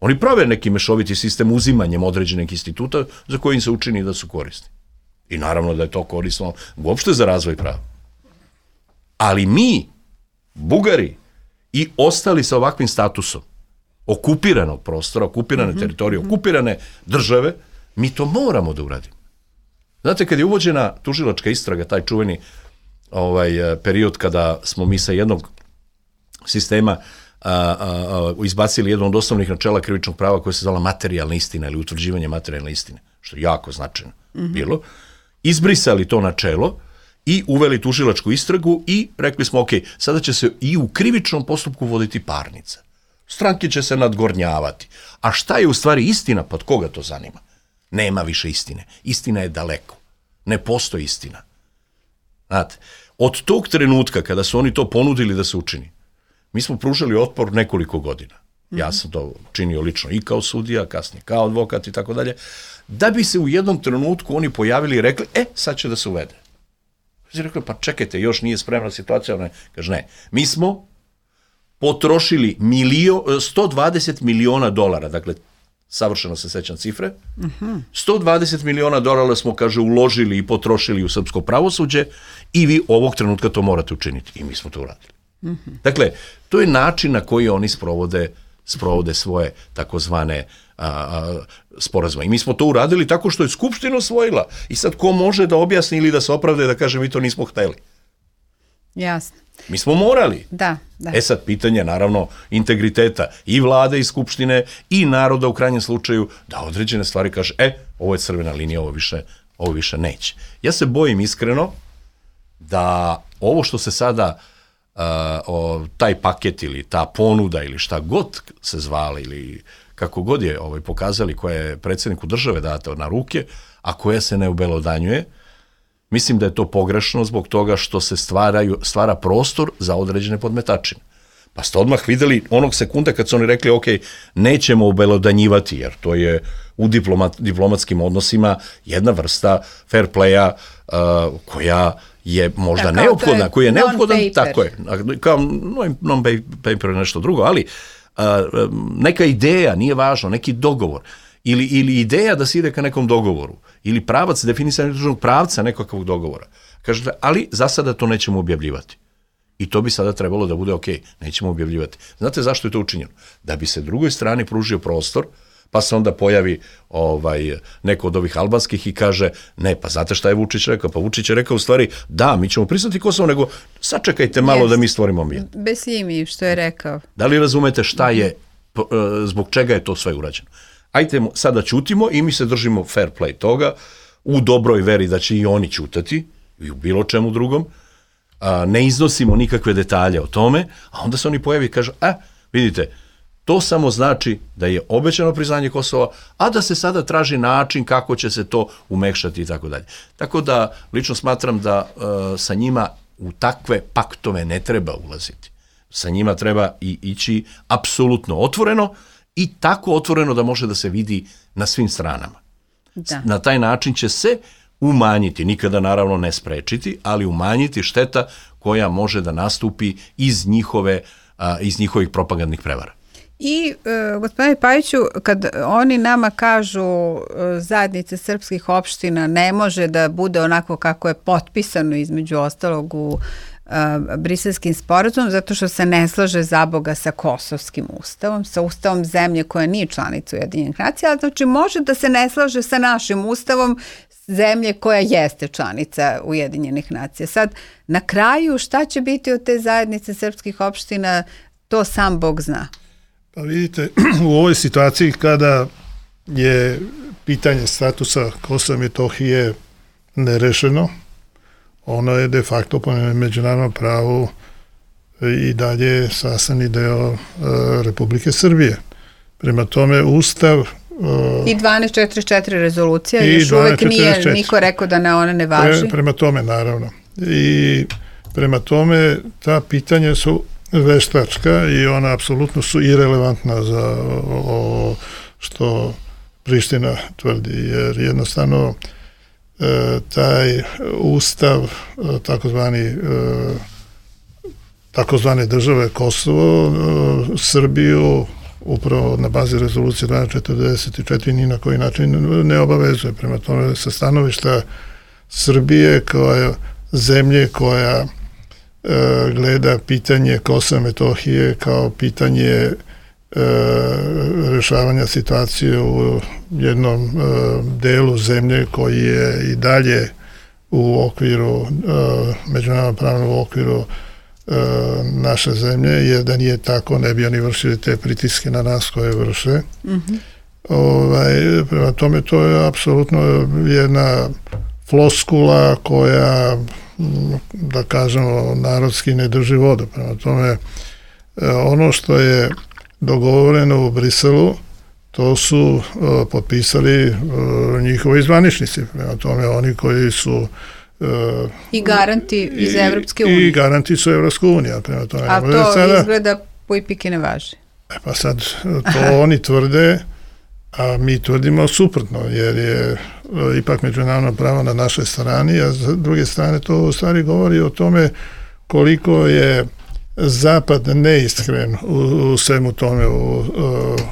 Oni prave neki mešoviti sistem uzimanjem određenih instituta za koje im se učini da su korisni. I naravno da je to korisno uopšte za razvoj prava. Ali mi, Bugari i ostali sa ovakvim statusom okupiranog prostora, okupirane teritorije, okupirane države, mi to moramo da uradimo. Znate, kad je uvođena tužilačka istraga, taj čuveni period kada smo mi sa jednog sistema izbacili jedno od osnovnih načela krivičnog prava koje se zvala materijalna istina ili utvrđivanje materijalne istine, što je jako značajno bilo, izbrisali to načelo i uveli tužilačku istragu i rekli smo, ok, sada će se i u krivičnom postupku voditi parnica. Stranke će se nadgornjavati. A šta je u stvari istina, pod koga to zanima? Nema više istine. Istina je daleko. Ne postoji istina. Znate, od tog trenutka kada su oni to ponudili da se učini, mi smo pružali otpor nekoliko godina. Ja sam to činio lično i kao sudija, kasnije kao advokat i tako dalje, da bi se u jednom trenutku oni pojavili i rekli, sad će da se uvede. Znači rekli, pa čekajte, još nije spremna situacija. Kaže, ne, mi smo potrošili $120 miliona, dakle, savršeno se sećam cifre, $120 miliona smo, kaže, uložili i potrošili u srpsko pravosuđe i vi ovog trenutka to morate učiniti. I mi smo to uradili. Dakle, to je način na koji oni sprovode svoje takozvane sporazume. I mi smo to uradili tako što je Skupština usvojila. I sad ko može da objasni ili da se opravda i da kaže mi to nismo hteli? Jasno. Mi smo morali. Da. Sad pitanje, naravno, integriteta i vlade i Skupštine i naroda u krajnjem slučaju da određene stvari kaže, ovo je crvena linija, ovo više neće. Ja se bojim iskreno da ovo što se sada taj paket ili ta ponuda ili šta god se zvala ili kako god je pokazali koja je predsjedniku države data na ruke, a koja se ne obelodanjuje, mislim da je to pogrešno zbog toga što se stvara prostor za određene podmetačine. Pa ste odmah videli onog sekunda kad su oni rekli ok, nećemo obelodanjivati jer to je u diplomatskim odnosima jedna vrsta fair playa koja je možda neophodna, koji je neophodan, tako je, kao non-paper je nešto drugo, ali neka ideja, nije važno, neki dogovor, ili ideja da se ide ka nekom dogovoru, ili pravac, definisanje državnog pravca nekakvog dogovora. Kažete, ali za sada to nećemo objavljivati. I to bi sada trebalo da bude ok, nećemo objavljivati. Znate zašto je to učinjeno? Da bi se drugoj strani pružio prostor, pa se onda pojavi neko od ovih albanskih i kaže, ne, pa znate šta je Vučić rekao? Pa Vučić je rekao u stvari, da, mi ćemo priznati Kosovo, nego sačekajte malo da mi stvorimo ambijent. Bez imi, što je rekao. Da li razumete šta je, zbog čega je to sve urađeno? Ajde, sada ćutimo i mi se držimo fair play toga, u dobroj veri da će i oni ćutati, i u bilo čemu drugom, ne iznosimo nikakve detalje o tome, a onda se oni pojavi i kažu, vidite, to samo znači da je obećano priznanje Kosova, a da se sada traži način kako će se to umekšati i tako dalje. Tako da, lično smatram da sa njima u takve paktove ne treba ulaziti. Sa njima treba ići apsolutno otvoreno i tako otvoreno da može da se vidi na svim stranama. Da. Na taj način će se umanjiti, nikada naravno ne sprečiti, ali umanjiti šteta koja može da nastupi iz njihovih propagandnih prevara. I, gospodine Pajiću, kad oni nama kažu zajednice srpskih opština ne može da bude onako kako je potpisano između ostalog u Briselskim sporazumom zato što se ne slaže zaboga sa kosovskim ustavom, sa ustavom zemlje koja nije članica Ujedinjenih nacija, ali znači može da se ne slaže sa našim ustavom zemlje koja jeste članica Ujedinjenih nacija. Sad, na kraju, šta će biti od te zajednice srpskih opština, to sam Bog zna. Pa vidite, u ovoj situaciji kada je pitanje statusa Kosova i Metohije nerešeno, ono je de facto po međunarodnom pravu i dalje sastavni deo Republike Srbije. Prema tome, Ustav i 1244 rezolucija još uvek nije niko rekao da ona ne važi. Prema tome, naravno. I prema tome, ta pitanja su veštačka i ona apsolutno su irelevantna za što Priština tvrdi, jer jednostavno taj ustav takozvane države Kosovo, Srbiju upravo na bazi rezolucije 1244 ni na koji način ne obavezuje. Prema tome, sa stanovišta Srbije kao zemlje koja gleda pitanje Kosova i Metohije kao pitanje rešavanja situacije u jednom delu zemlje koji je i dalje u okviru međunarodnog pravnog okviru naše zemlje, jer da nije tako ne bi oni vršili te pritiske na nas koje vrše. Prema tome, to je apsolutno jedna floskula koja, da kažemo, narodski ne drži vodu. Prema tome, ono što je dogovoreno u Briselu, to su potpisali njihovi zvaničnici. Prema tome, oni koji su i garanti iz Evropske unije. I garanti su Evropska unija. A to sada izgleda po ipike ne važi. Pa sad, to oni tvrde, a mi tvrdimo suprotno, jer je ipak međunarodno pravo na našoj strani, a s druge strane to u stvari govori o tome koliko je Zapad neiskren u svemu tome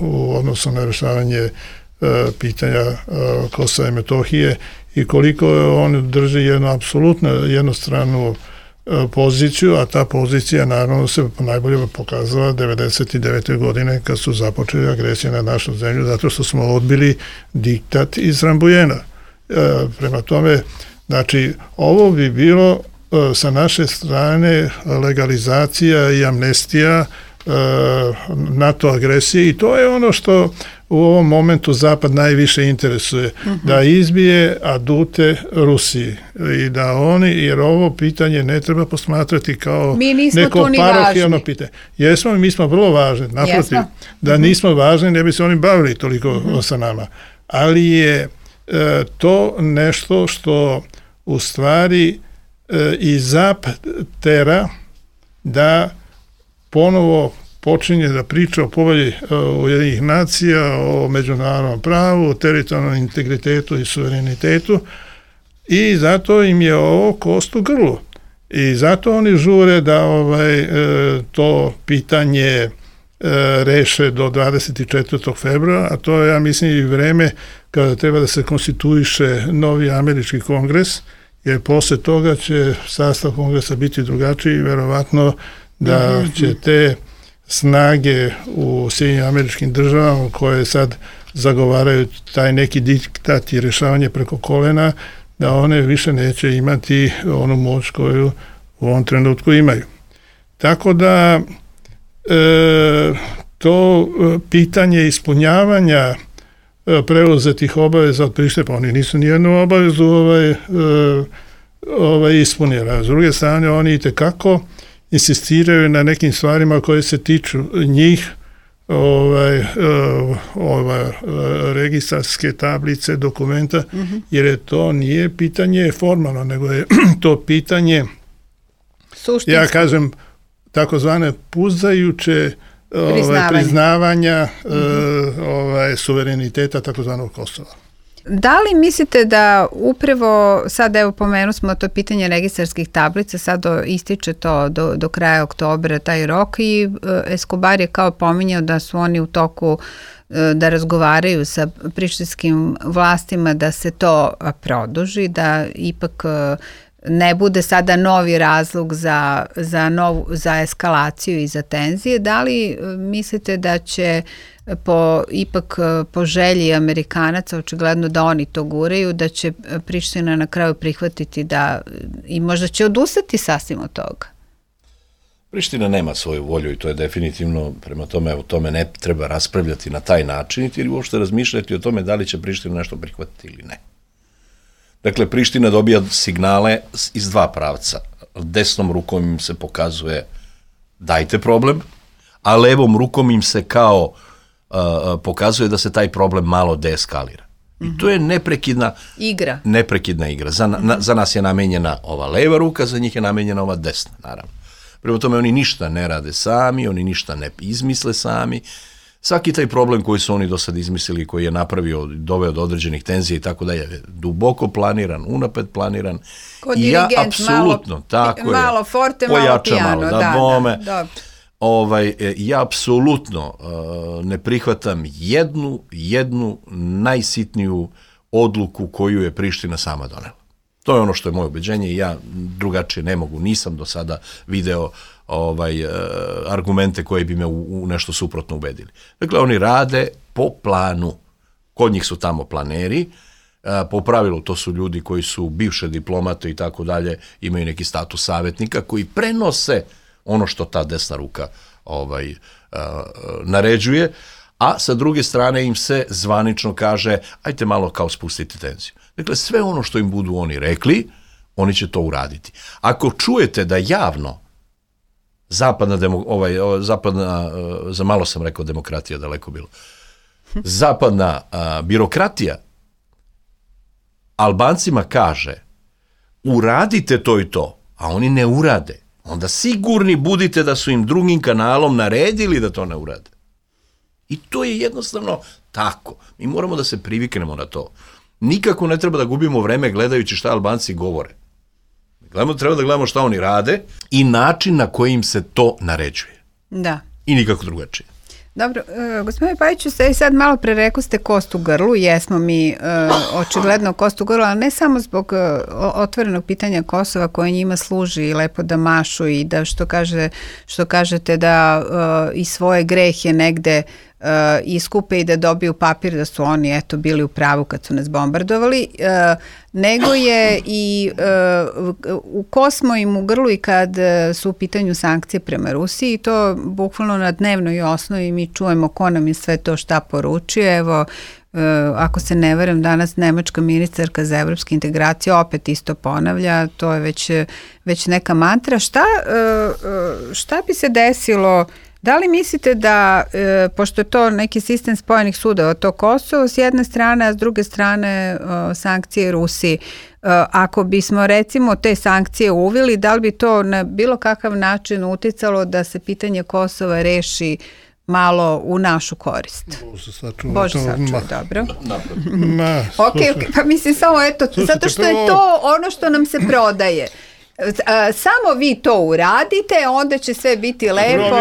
u odnosu na rešavanje pitanja Kosova i Metohije i koliko on drži jednu apsolutno jednostranu poziciju, a ta pozicija naravno se najbolje pokazala 99. godine kad su započeli agresiju na našu zemlju zato što smo odbili diktat iz Rambujena. Prema tome, znači, ovo bi bilo sa naše strane legalizacija i amnestija NATO agresije i to je ono što u ovom momentu Zapad najviše interesuje, da izbije adute Rusiji i da oni, jer ovo pitanje ne treba posmatrati kao neko parohijalno pitanje. Jesmo, mi smo vrlo važni, naprotiv, da nismo važni, ne bi se oni bavili toliko sa nama, ali je to nešto što u stvari i Zapad tera da ponovo počinje da priča o povelji Ujedinjenih nacija, o međunarodnom pravu, o teritorijalnom integritetu i suverenitetu i zato im je ovo kost u grlu. I zato oni žure da to pitanje reše do 24. februara, a to je, ja mislim, i vreme kada treba da se konstituiše novi američki kongres, jer posle toga će sastav kongresa biti drugačiji i verovatno da će te snage u Sjedinjenim Američkim Državama koje sad zagovaraju taj neki diktat i rešavanje preko kolena, da one više neće imati onu moć koju u ovom trenutku imaju. Tako da to pitanje ispunjavanja preuzetih obaveza od Prištine, pa oni nisu nijednu obavezu ispunili. S druge strane, oni itekako insistiraju na nekim stvarima koje se tiču njih, registarske tablice, dokumenta, jer to nije pitanje formalno, nego je to pitanje, ja kažem, takozvane puzajuće priznavanja suvereniteta takozvanog Kosova. Da li mislite da upravo, sad evo pomenu smo to pitanje registarskih tablica, sad ističe to do kraja oktobra taj rok i Escobar je kao pominjao da su oni u toku da razgovaraju sa prištinskim vlastima da se to produži, da ipak ne bude sada novi razlog za eskalaciju i za tenzije, da li mislite da će ipak po želji Amerikanaca, očigledno da oni to guraju, da će Priština na kraju prihvatiti i možda će odustati sasvim od toga? Priština nema svoju volju i to je definitivno, prema tome o tome ne treba raspravljati na taj način ili uopšte razmišljati o tome da li će Priština nešto prihvatiti ili ne. Dakle, Priština dobija signale iz dva pravca. Desnom rukom im se pokazuje dajte problem, a levom rukom im se kao pokazuje da se taj problem malo deeskalira. I to je neprekidna igra. Za nas je namenjena ova leva ruka, za njih je namenjena ova desna, naravno. Prema tome oni ništa ne rade sami, oni ništa ne izmisle sami. Svaki taj problem koji su oni do sad izmislili, koji je napravio, doveo do određenih tenzija i tako da je duboko planiran, unapred planiran. Ko dirigent, malo forte, malo pijano. Ja apsolutno ne prihvatam jednu najsitniju odluku koju je Priština sama donela. To je ono što je moje ubeđenje i ja drugačije ne mogu. Nisam do sada video argumente koji bi me u nešto suprotno ubedili. Dakle, oni rade po planu. Kod njih su tamo planeri. Po pravilu to su ljudi koji su bivše diplomate i tako dalje, imaju neki status savjetnika koji prenose ono što ta desna ruka naređuje, a sa druge strane im se zvanično kaže ajte malo kao spustiti tenziju. Dakle, sve ono što im budu oni rekli, oni će to uraditi. Ako čujete da javno zapadna, za malo sam rekao demokratija, daleko bilo, zapadna birokratija Albancima kaže uradite to i to, a oni ne urade, onda sigurni budite da su im drugim kanalom naredili da to ne urade. I to je jednostavno tako. Mi moramo da se priviknemo na to. Nikako ne treba da gubimo vreme gledajući šta Albanci govore. Treba da gledamo šta oni rade i način na koji im se to naređuje. Da. I nikako drugačije. Dobro, gospodine Pajiću, sad malo pre rekli ste kost u grlu, jesmo mi očigledno kost u grlu, ali ne samo zbog otvorenog pitanja Kosova koje njima služi lepo da mašu i da što kažete da i svoje grehe negde iskupe i da dobiju papir da su oni bili u pravu kad su nas bombardovali, nego je i u kosmo im u grlu i kad su u pitanju sankcije prema Rusiji i to bukvalno na dnevnoj osnovi mi čujemo ko nam je sve to šta poručuje. Evo, ako se ne varam, danas nemačka ministarka za evropske integracije opet isto ponavlja, to je već neka mantra. Šta bi se desilo? Da li mislite da, pošto je to neki sistem spojenih sudova, to Kosovo s jedne strane, a s druge strane sankcije Rusiji, ako bismo recimo te sankcije uveli, da li bi to na bilo kakav način uticalo da se pitanje Kosova reši malo u našu korist? Bože sačuva, dobro. Ok, pa mislim samo zato što je to ono što nam se prodaje. Samo vi to uradite, onda će sve biti lepo.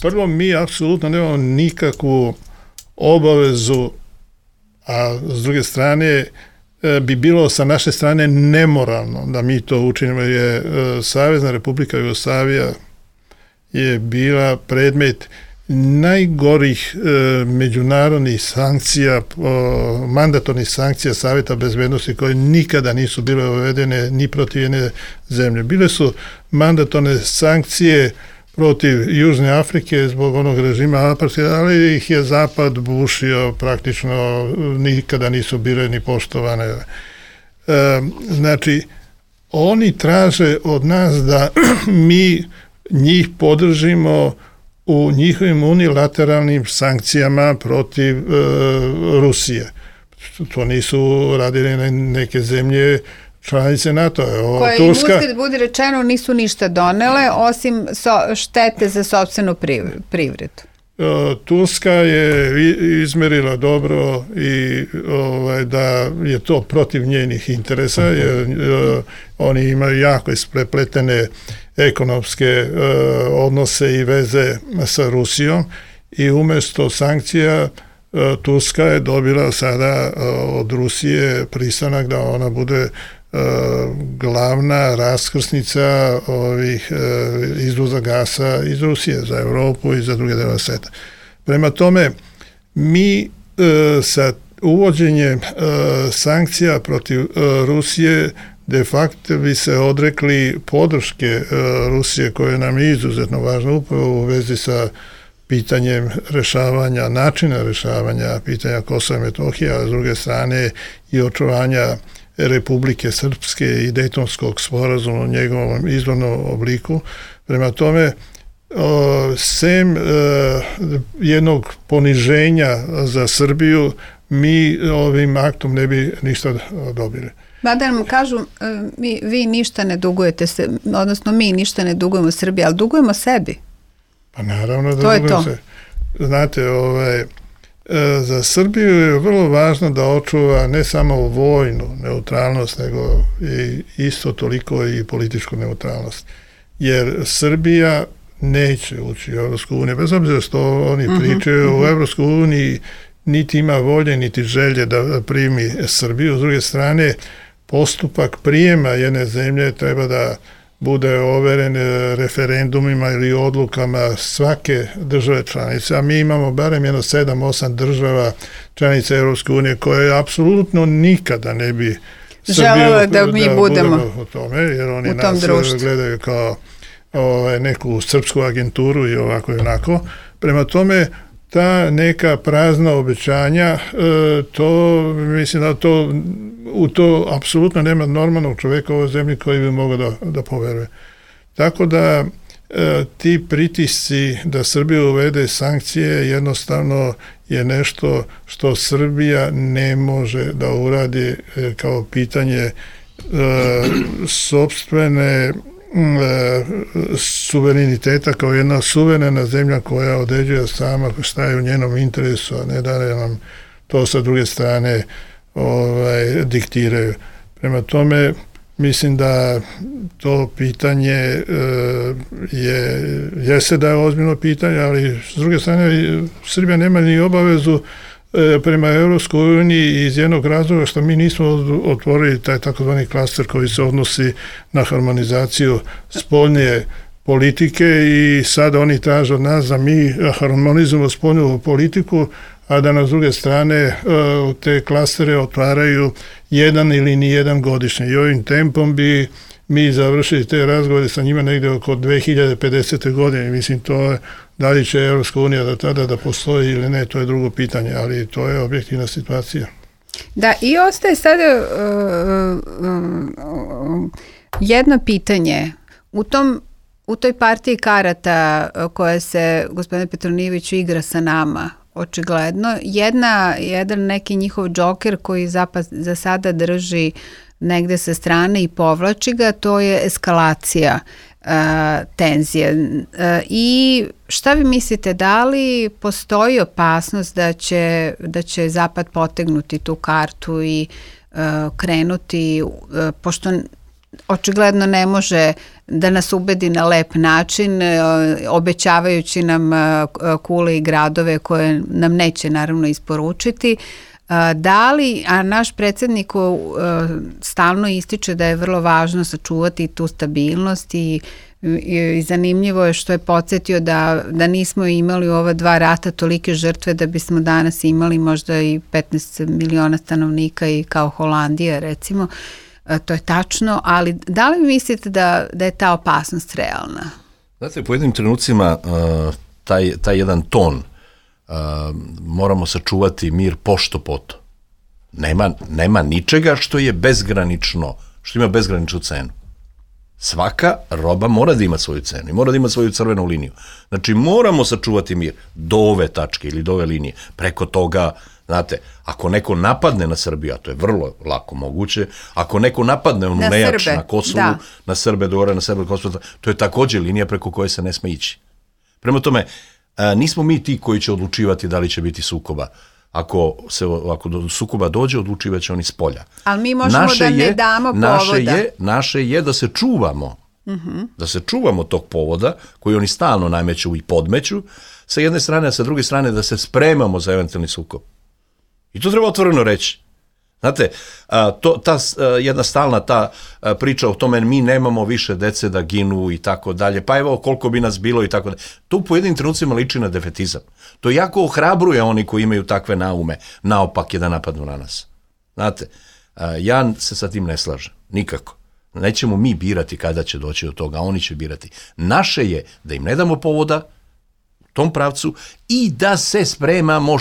Prvo, mi apsolutno nemamo nikakvu obavezu, a s druge strane bi bilo sa naše strane nemoralno da mi to učinimo, jer Savezna Republika Jugoslavija je bila predmet najgorih međunarodnih sankcija, mandatornih sankcija Savjeta bezbednosti koje nikada nisu bile uvedene ni protiv jedne zemlje. Bile su mandatorne sankcije protiv Južne Afrike zbog onog režima apartheida, ali ih je Zapad bušio, praktično nikada nisu bile ni poštovane. Znači, oni traže od nas da mi njih podržimo u njihovim unilateralnim sankcijama protiv Rusije. To nisu radili neke zemlje članice NATO. Koje im uzgled budi rečeno nisu ništa donele, osim štete za sopstvenu privredu. Turska je izmerila dobro i da je to protiv njenih interesa, jer oni imaju jako isprepletene ekonomske odnose i veze sa Rusijom i umjesto sankcija Turska je dobila sada od Rusije pristanak da ona bude glavna raskrsnica ovih izvoza gasa iz Rusije za Europu i za druge delove sveta. Prema tome, mi sa uvođenjem sankcija protiv Rusije de facto bi se odrekli podrške Rusije, koja nam je izuzetno važna upravo u vezi sa pitanjem rešavanja, načina rešavanja pitanja Kosova i Metohije, a s druge strane i očuvanja Republike Srpske i Dejtonskog sporazuma u njegovom izvornom obliku. Prema tome, sem jednog poniženja za Srbiju, mi ovim aktom ne bi ništa dobili. Mada nam kažu, vi ništa ne dugujete se, odnosno mi ništa ne dugujemo Srbiji, ali dugujemo sebi. Pa naravno da dugujemo se. Znate, za Srbiju je vrlo važno da očuva ne samo vojnu neutralnost, nego i isto toliko i političku neutralnost. Jer Srbija neće ući u Evropsku uniju, bez obzira što oni pričaju u Evropsku uniji, niti ima volje, niti želje da primi Srbiju. S druge strane, postupak prijema jedne zemlje treba da bude overen referendumima ili odlukama svake države članice, a mi imamo barem 7-8 država članice Evropske unije koje apsolutno nikada ne bi želele da mi budemo u tome, jer oni nas gledaju kao neku srpsku agenturu i ovako i onako. Prema tome, ta neka prazna obećanja, to mislim da u to apsolutno nema normalnog čoveka u ovoj zemlji koji bi mogao da poveruje. Tako da ti pritisci da Srbija uvede sankcije jednostavno je nešto što Srbija ne može da uradi kao pitanje sopstvene suvereniteta, kao jedna suverena zemlja koja određuje sama šta je u njenom interesu, a ne da nam to sa druge strane diktiraju. Prema tome, mislim da to pitanje jeste da je ozbiljno pitanje, ali s druge strane Srbija nema ni obavezu prema Evropskoj uniji iz jednog razloga što mi nismo otvorili taj takozvani klaster koji se odnosi na harmonizaciju spoljne politike i sada oni traže od nas da mi harmonizujemo spoljnu politiku, a da na s druge strane te klastere otvaraju jedan ili nijedan godišnje. I ovim tempom bi mi završili te razgovore sa njima negde oko 2050. godine. Mislim, to je, da li će Evropska unija do tada da postoji ili ne, to je drugo pitanje, ali to je objektivna situacija. Da, i ostaje sada jedno pitanje. U toj partiji karata koja se, gospodine Petronijeviću, igra sa nama, očigledno, jedan neki njihov džoker koji za sada drži negde sa strane i povlači ga, to je eskalacija tenzije. I šta vi mislite, da li postoji opasnost da će Zapad potegnuti tu kartu i krenuti, pošto očigledno ne može da nas ubedi na lep način, obećavajući nam kule i gradove koje nam neće naravno isporučiti. Da li, a naš predsjednik stalno ističe da je vrlo važno sačuvati tu stabilnost i zanimljivo je što je podsjetio da nismo imali u ova 2 rata tolike žrtve da bismo danas imali možda i 15 miliona stanovnika i kao Holandija recimo. To je tačno, ali da li mislite da je ta opasnost realna? Znate, u pojedinim trenucima taj jedan ton moramo sačuvati mir pošto poto. Nema ničega što je bezgranično, što ima bezgraničnu cenu. Svaka roba mora da ima svoju cenu i mora da ima svoju crvenu liniju. Znači, moramo sačuvati mir do ove tačke ili do ove linije. Preko toga, znate, ako neko napadne na Srbiju, a to je vrlo lako moguće, ako neko napadne onu nejač na Kosovu, na Srbe, dore na Srbe, Kosovu, to je također linija preko koje se ne sme ići. Prema tome, nismo mi ti koji će odlučivati da li će biti sukoba. Ako do sukoba dođe, odlučivat će oni s polja. Ali mi možemo ne damo povoda. Naše je da se čuvamo. Da se čuvamo tog povoda koji oni stalno nameću i podmeću sa jedne strane, a sa druge strane da se spremamo za eventualni sukob. I to treba otvoreno reći. Znate, jedna stalna ta priča o tome mi nemamo više dece da ginu i tako dalje, pa evo koliko bi nas bilo i tako dalje. To u pojedinim trenucima liči na defetizam. To jako ohrabruje oni koji imaju takve naume, naopake da napadnu na nas. Znate, ja se sa tim ne slažem, nikako. Nećemo mi birati kada će doći do toga, oni će birati. Naše je da im ne damo povoda u tom pravcu i da se spremamo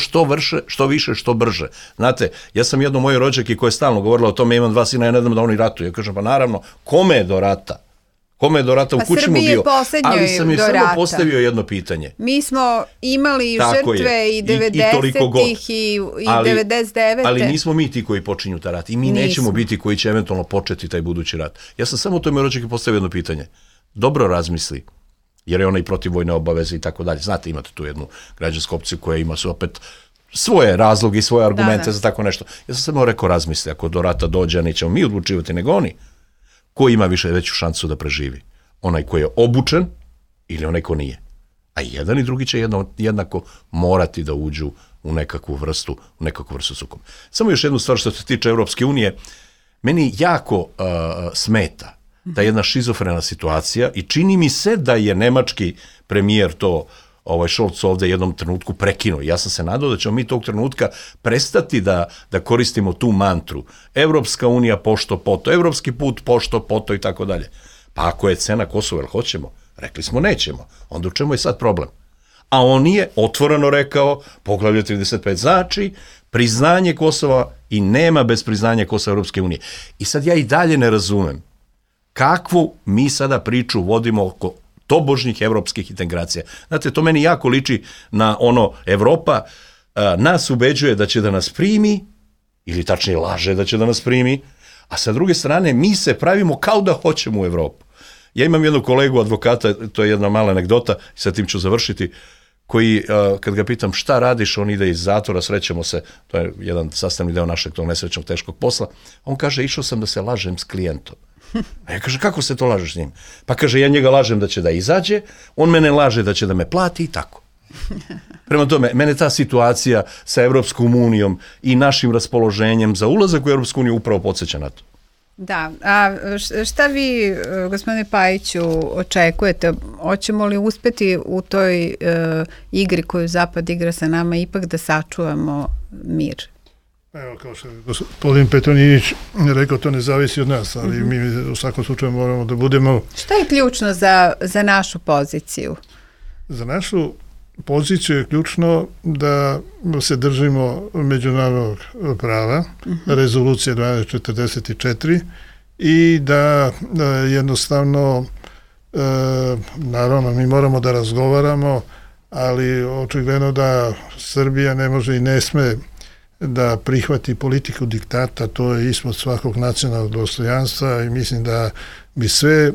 što više, što brže. Znate, ja sam jedno moje rođaki koja je stalno govorila o tome, imam 2 sina, ja ne dam da oni ratuju. Ja kažem, pa naravno, kome je do rata? Kome je do rata u kući mu bio? Ali sam joj samo postavio jedno pitanje. Mi smo imali žrtve i 90-ih i 99. Ali nismo mi ti koji počinju ta rat i mi nećemo biti koji će eventualno početi taj budući rat. Ja sam samo tome rođaki postavio jedno pitanje. Dobro razmisli, jer je ona i protiv vojne obaveze i tako dalje. Znate, imate tu jednu građansku opciju koja ima su opet svoje razloge i svoje argumente za tako nešto. Ja sam samo rekao, razmisli, ako do rata dođe, nećemo mi odlučivati, nego oni. Ko ima veću šansu da preživi? Onaj ko je obučen ili onaj ko nije? A jedan i drugi će jednako morati da uđu u nekakvu vrstu sukoba. Samo još jednu stvar što se tiče Europske unije, meni jako smeta ta jedna šizofrena situacija i čini mi se da je nemački premijer to Scholz ovde jednom trenutku prekinuo. Ja sam se nadao da ćemo mi tog trenutka prestati da koristimo tu mantru. Evropska unija pošto poto, evropski put pošto poto i tako dalje. Pa ako je cena Kosova, jel hoćemo? Rekli smo nećemo. Onda u čemu je sad problem? A on je otvoreno rekao, poglavlje 35 znači priznanje Kosova i nema bez priznanja Kosova Evropske unije. I sad ja i dalje ne razumem kakvu mi sada priču vodimo oko tobožnjih evropskih integracija. Znate, to meni jako liči na ono Evropa nas ubeđuje da će da nas primi, ili tačnije laže da će da nas primi, a sa druge strane mi se pravimo kao da hoćemo u Evropu. Ja imam jednog kolegu advokata, to je jedna mala anegdota, i sa tim ću završiti, koji, kad ga pitam šta radiš, on ide iz zatvora, srećemo se, to je jedan sastavni deo našeg tog nesrećnog teškog posla, on kaže, išao sam da se lažem s klijentom. A ja kaže, kako se to lažeš s njim? Pa kaže, ja njega lažem da će da izađe, on mene laže da će da me plati i tako. Prema tome, mene ta situacija sa Evropskom unijom i našim raspoloženjem za ulazak u Evropsku uniju upravo podsjeća na to. Da, a šta vi, gospodine Pajiću, očekujete? Hoćemo li uspeti u toj igri koju Zapad igra sa nama ipak da sačuvamo mir? Evo, kao što je gospodin Petronijević rekao, to ne zavisi od nas, ali mi u svakom slučaju moramo da budemo... Šta je ključno za našu poziciju? Za našu poziciju je ključno da se držimo međunarodnog prava, rezolucije 1244 i da jednostavno, naravno, mi moramo da razgovaramo, ali očigledno da Srbija ne može i ne sme da prihvati politiku diktata, to je ispod svakog nacionalnog dostojanstva i mislim da bi sve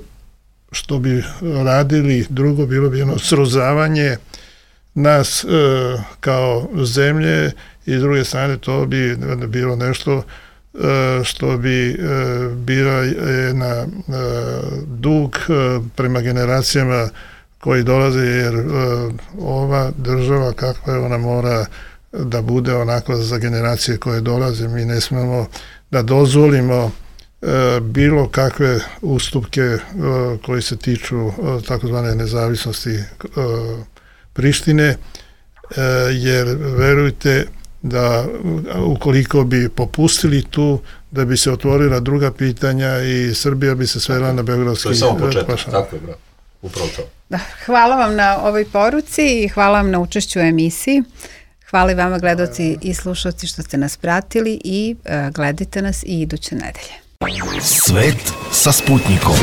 što bi radili drugo bilo bi jedno srozavanje nas kao zemlje i s druge strane to bi bilo nešto što bi bila jedna dug prema generacijama koji dolaze, jer ova država kakva je, ona mora da bude onako za generacije koje dolaze. Mi ne smemo da dozvolimo bilo kakve ustupke koji se tiču takozvane nezavisnosti Prištine, jer verujte da ukoliko bi popustili tu, da bi se otvorila druga pitanja i Srbija bi se svela na beogradski pašan. To je samo početak, tako je, bravo. Upravo to. Da, hvala vam na ovoj poruci i hvala vam na učešću u emisiji. Hvala i vama, gledaoci i slušalci, što ste nas pratili i gledajte nas i iduće nedelje. Svet sa Sputnikom.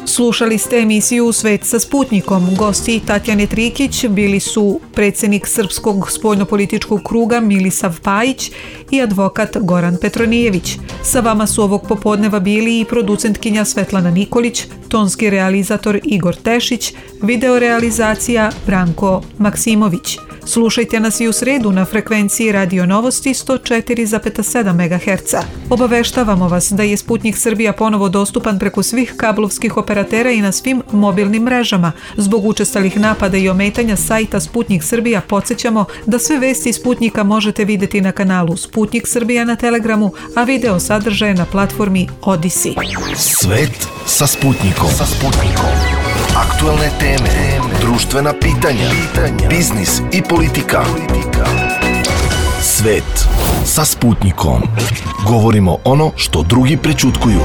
Slušali ste emisiju Svet sa Sputnikom. Gosti Tatjane Trikić bili su predsjednik Srpskog spoljnopolitičkog kruga Milisav Pajić i advokat Goran Petronijević. Sa vama su ovog popodneva bili i producentkinja Svetlana Nikolić, tonski realizator Igor Tešić, videorealizacija Branko Maksimović. Slušajte nas i u sredu na frekvenciji Radio Novosti 104,7 MHz. Obaveštavamo vas da je Sputnik Srbija ponovo dostupan preko svih kablovskih operatera i na svim mobilnim mrežama. Zbog učestalih napada i ometanja sajta Sputnik Srbija podsjećamo da sve vesti Sputnika možete vidjeti na kanalu Sputnik Srbija na Telegramu, a video sadržaje na platformi Odisi. Svet sa Sputnikom. Aktualne teme, društvena pitanja, biznis i politika. Svet sa Sputnikom. Govorimo ono što drugi prećutkuju.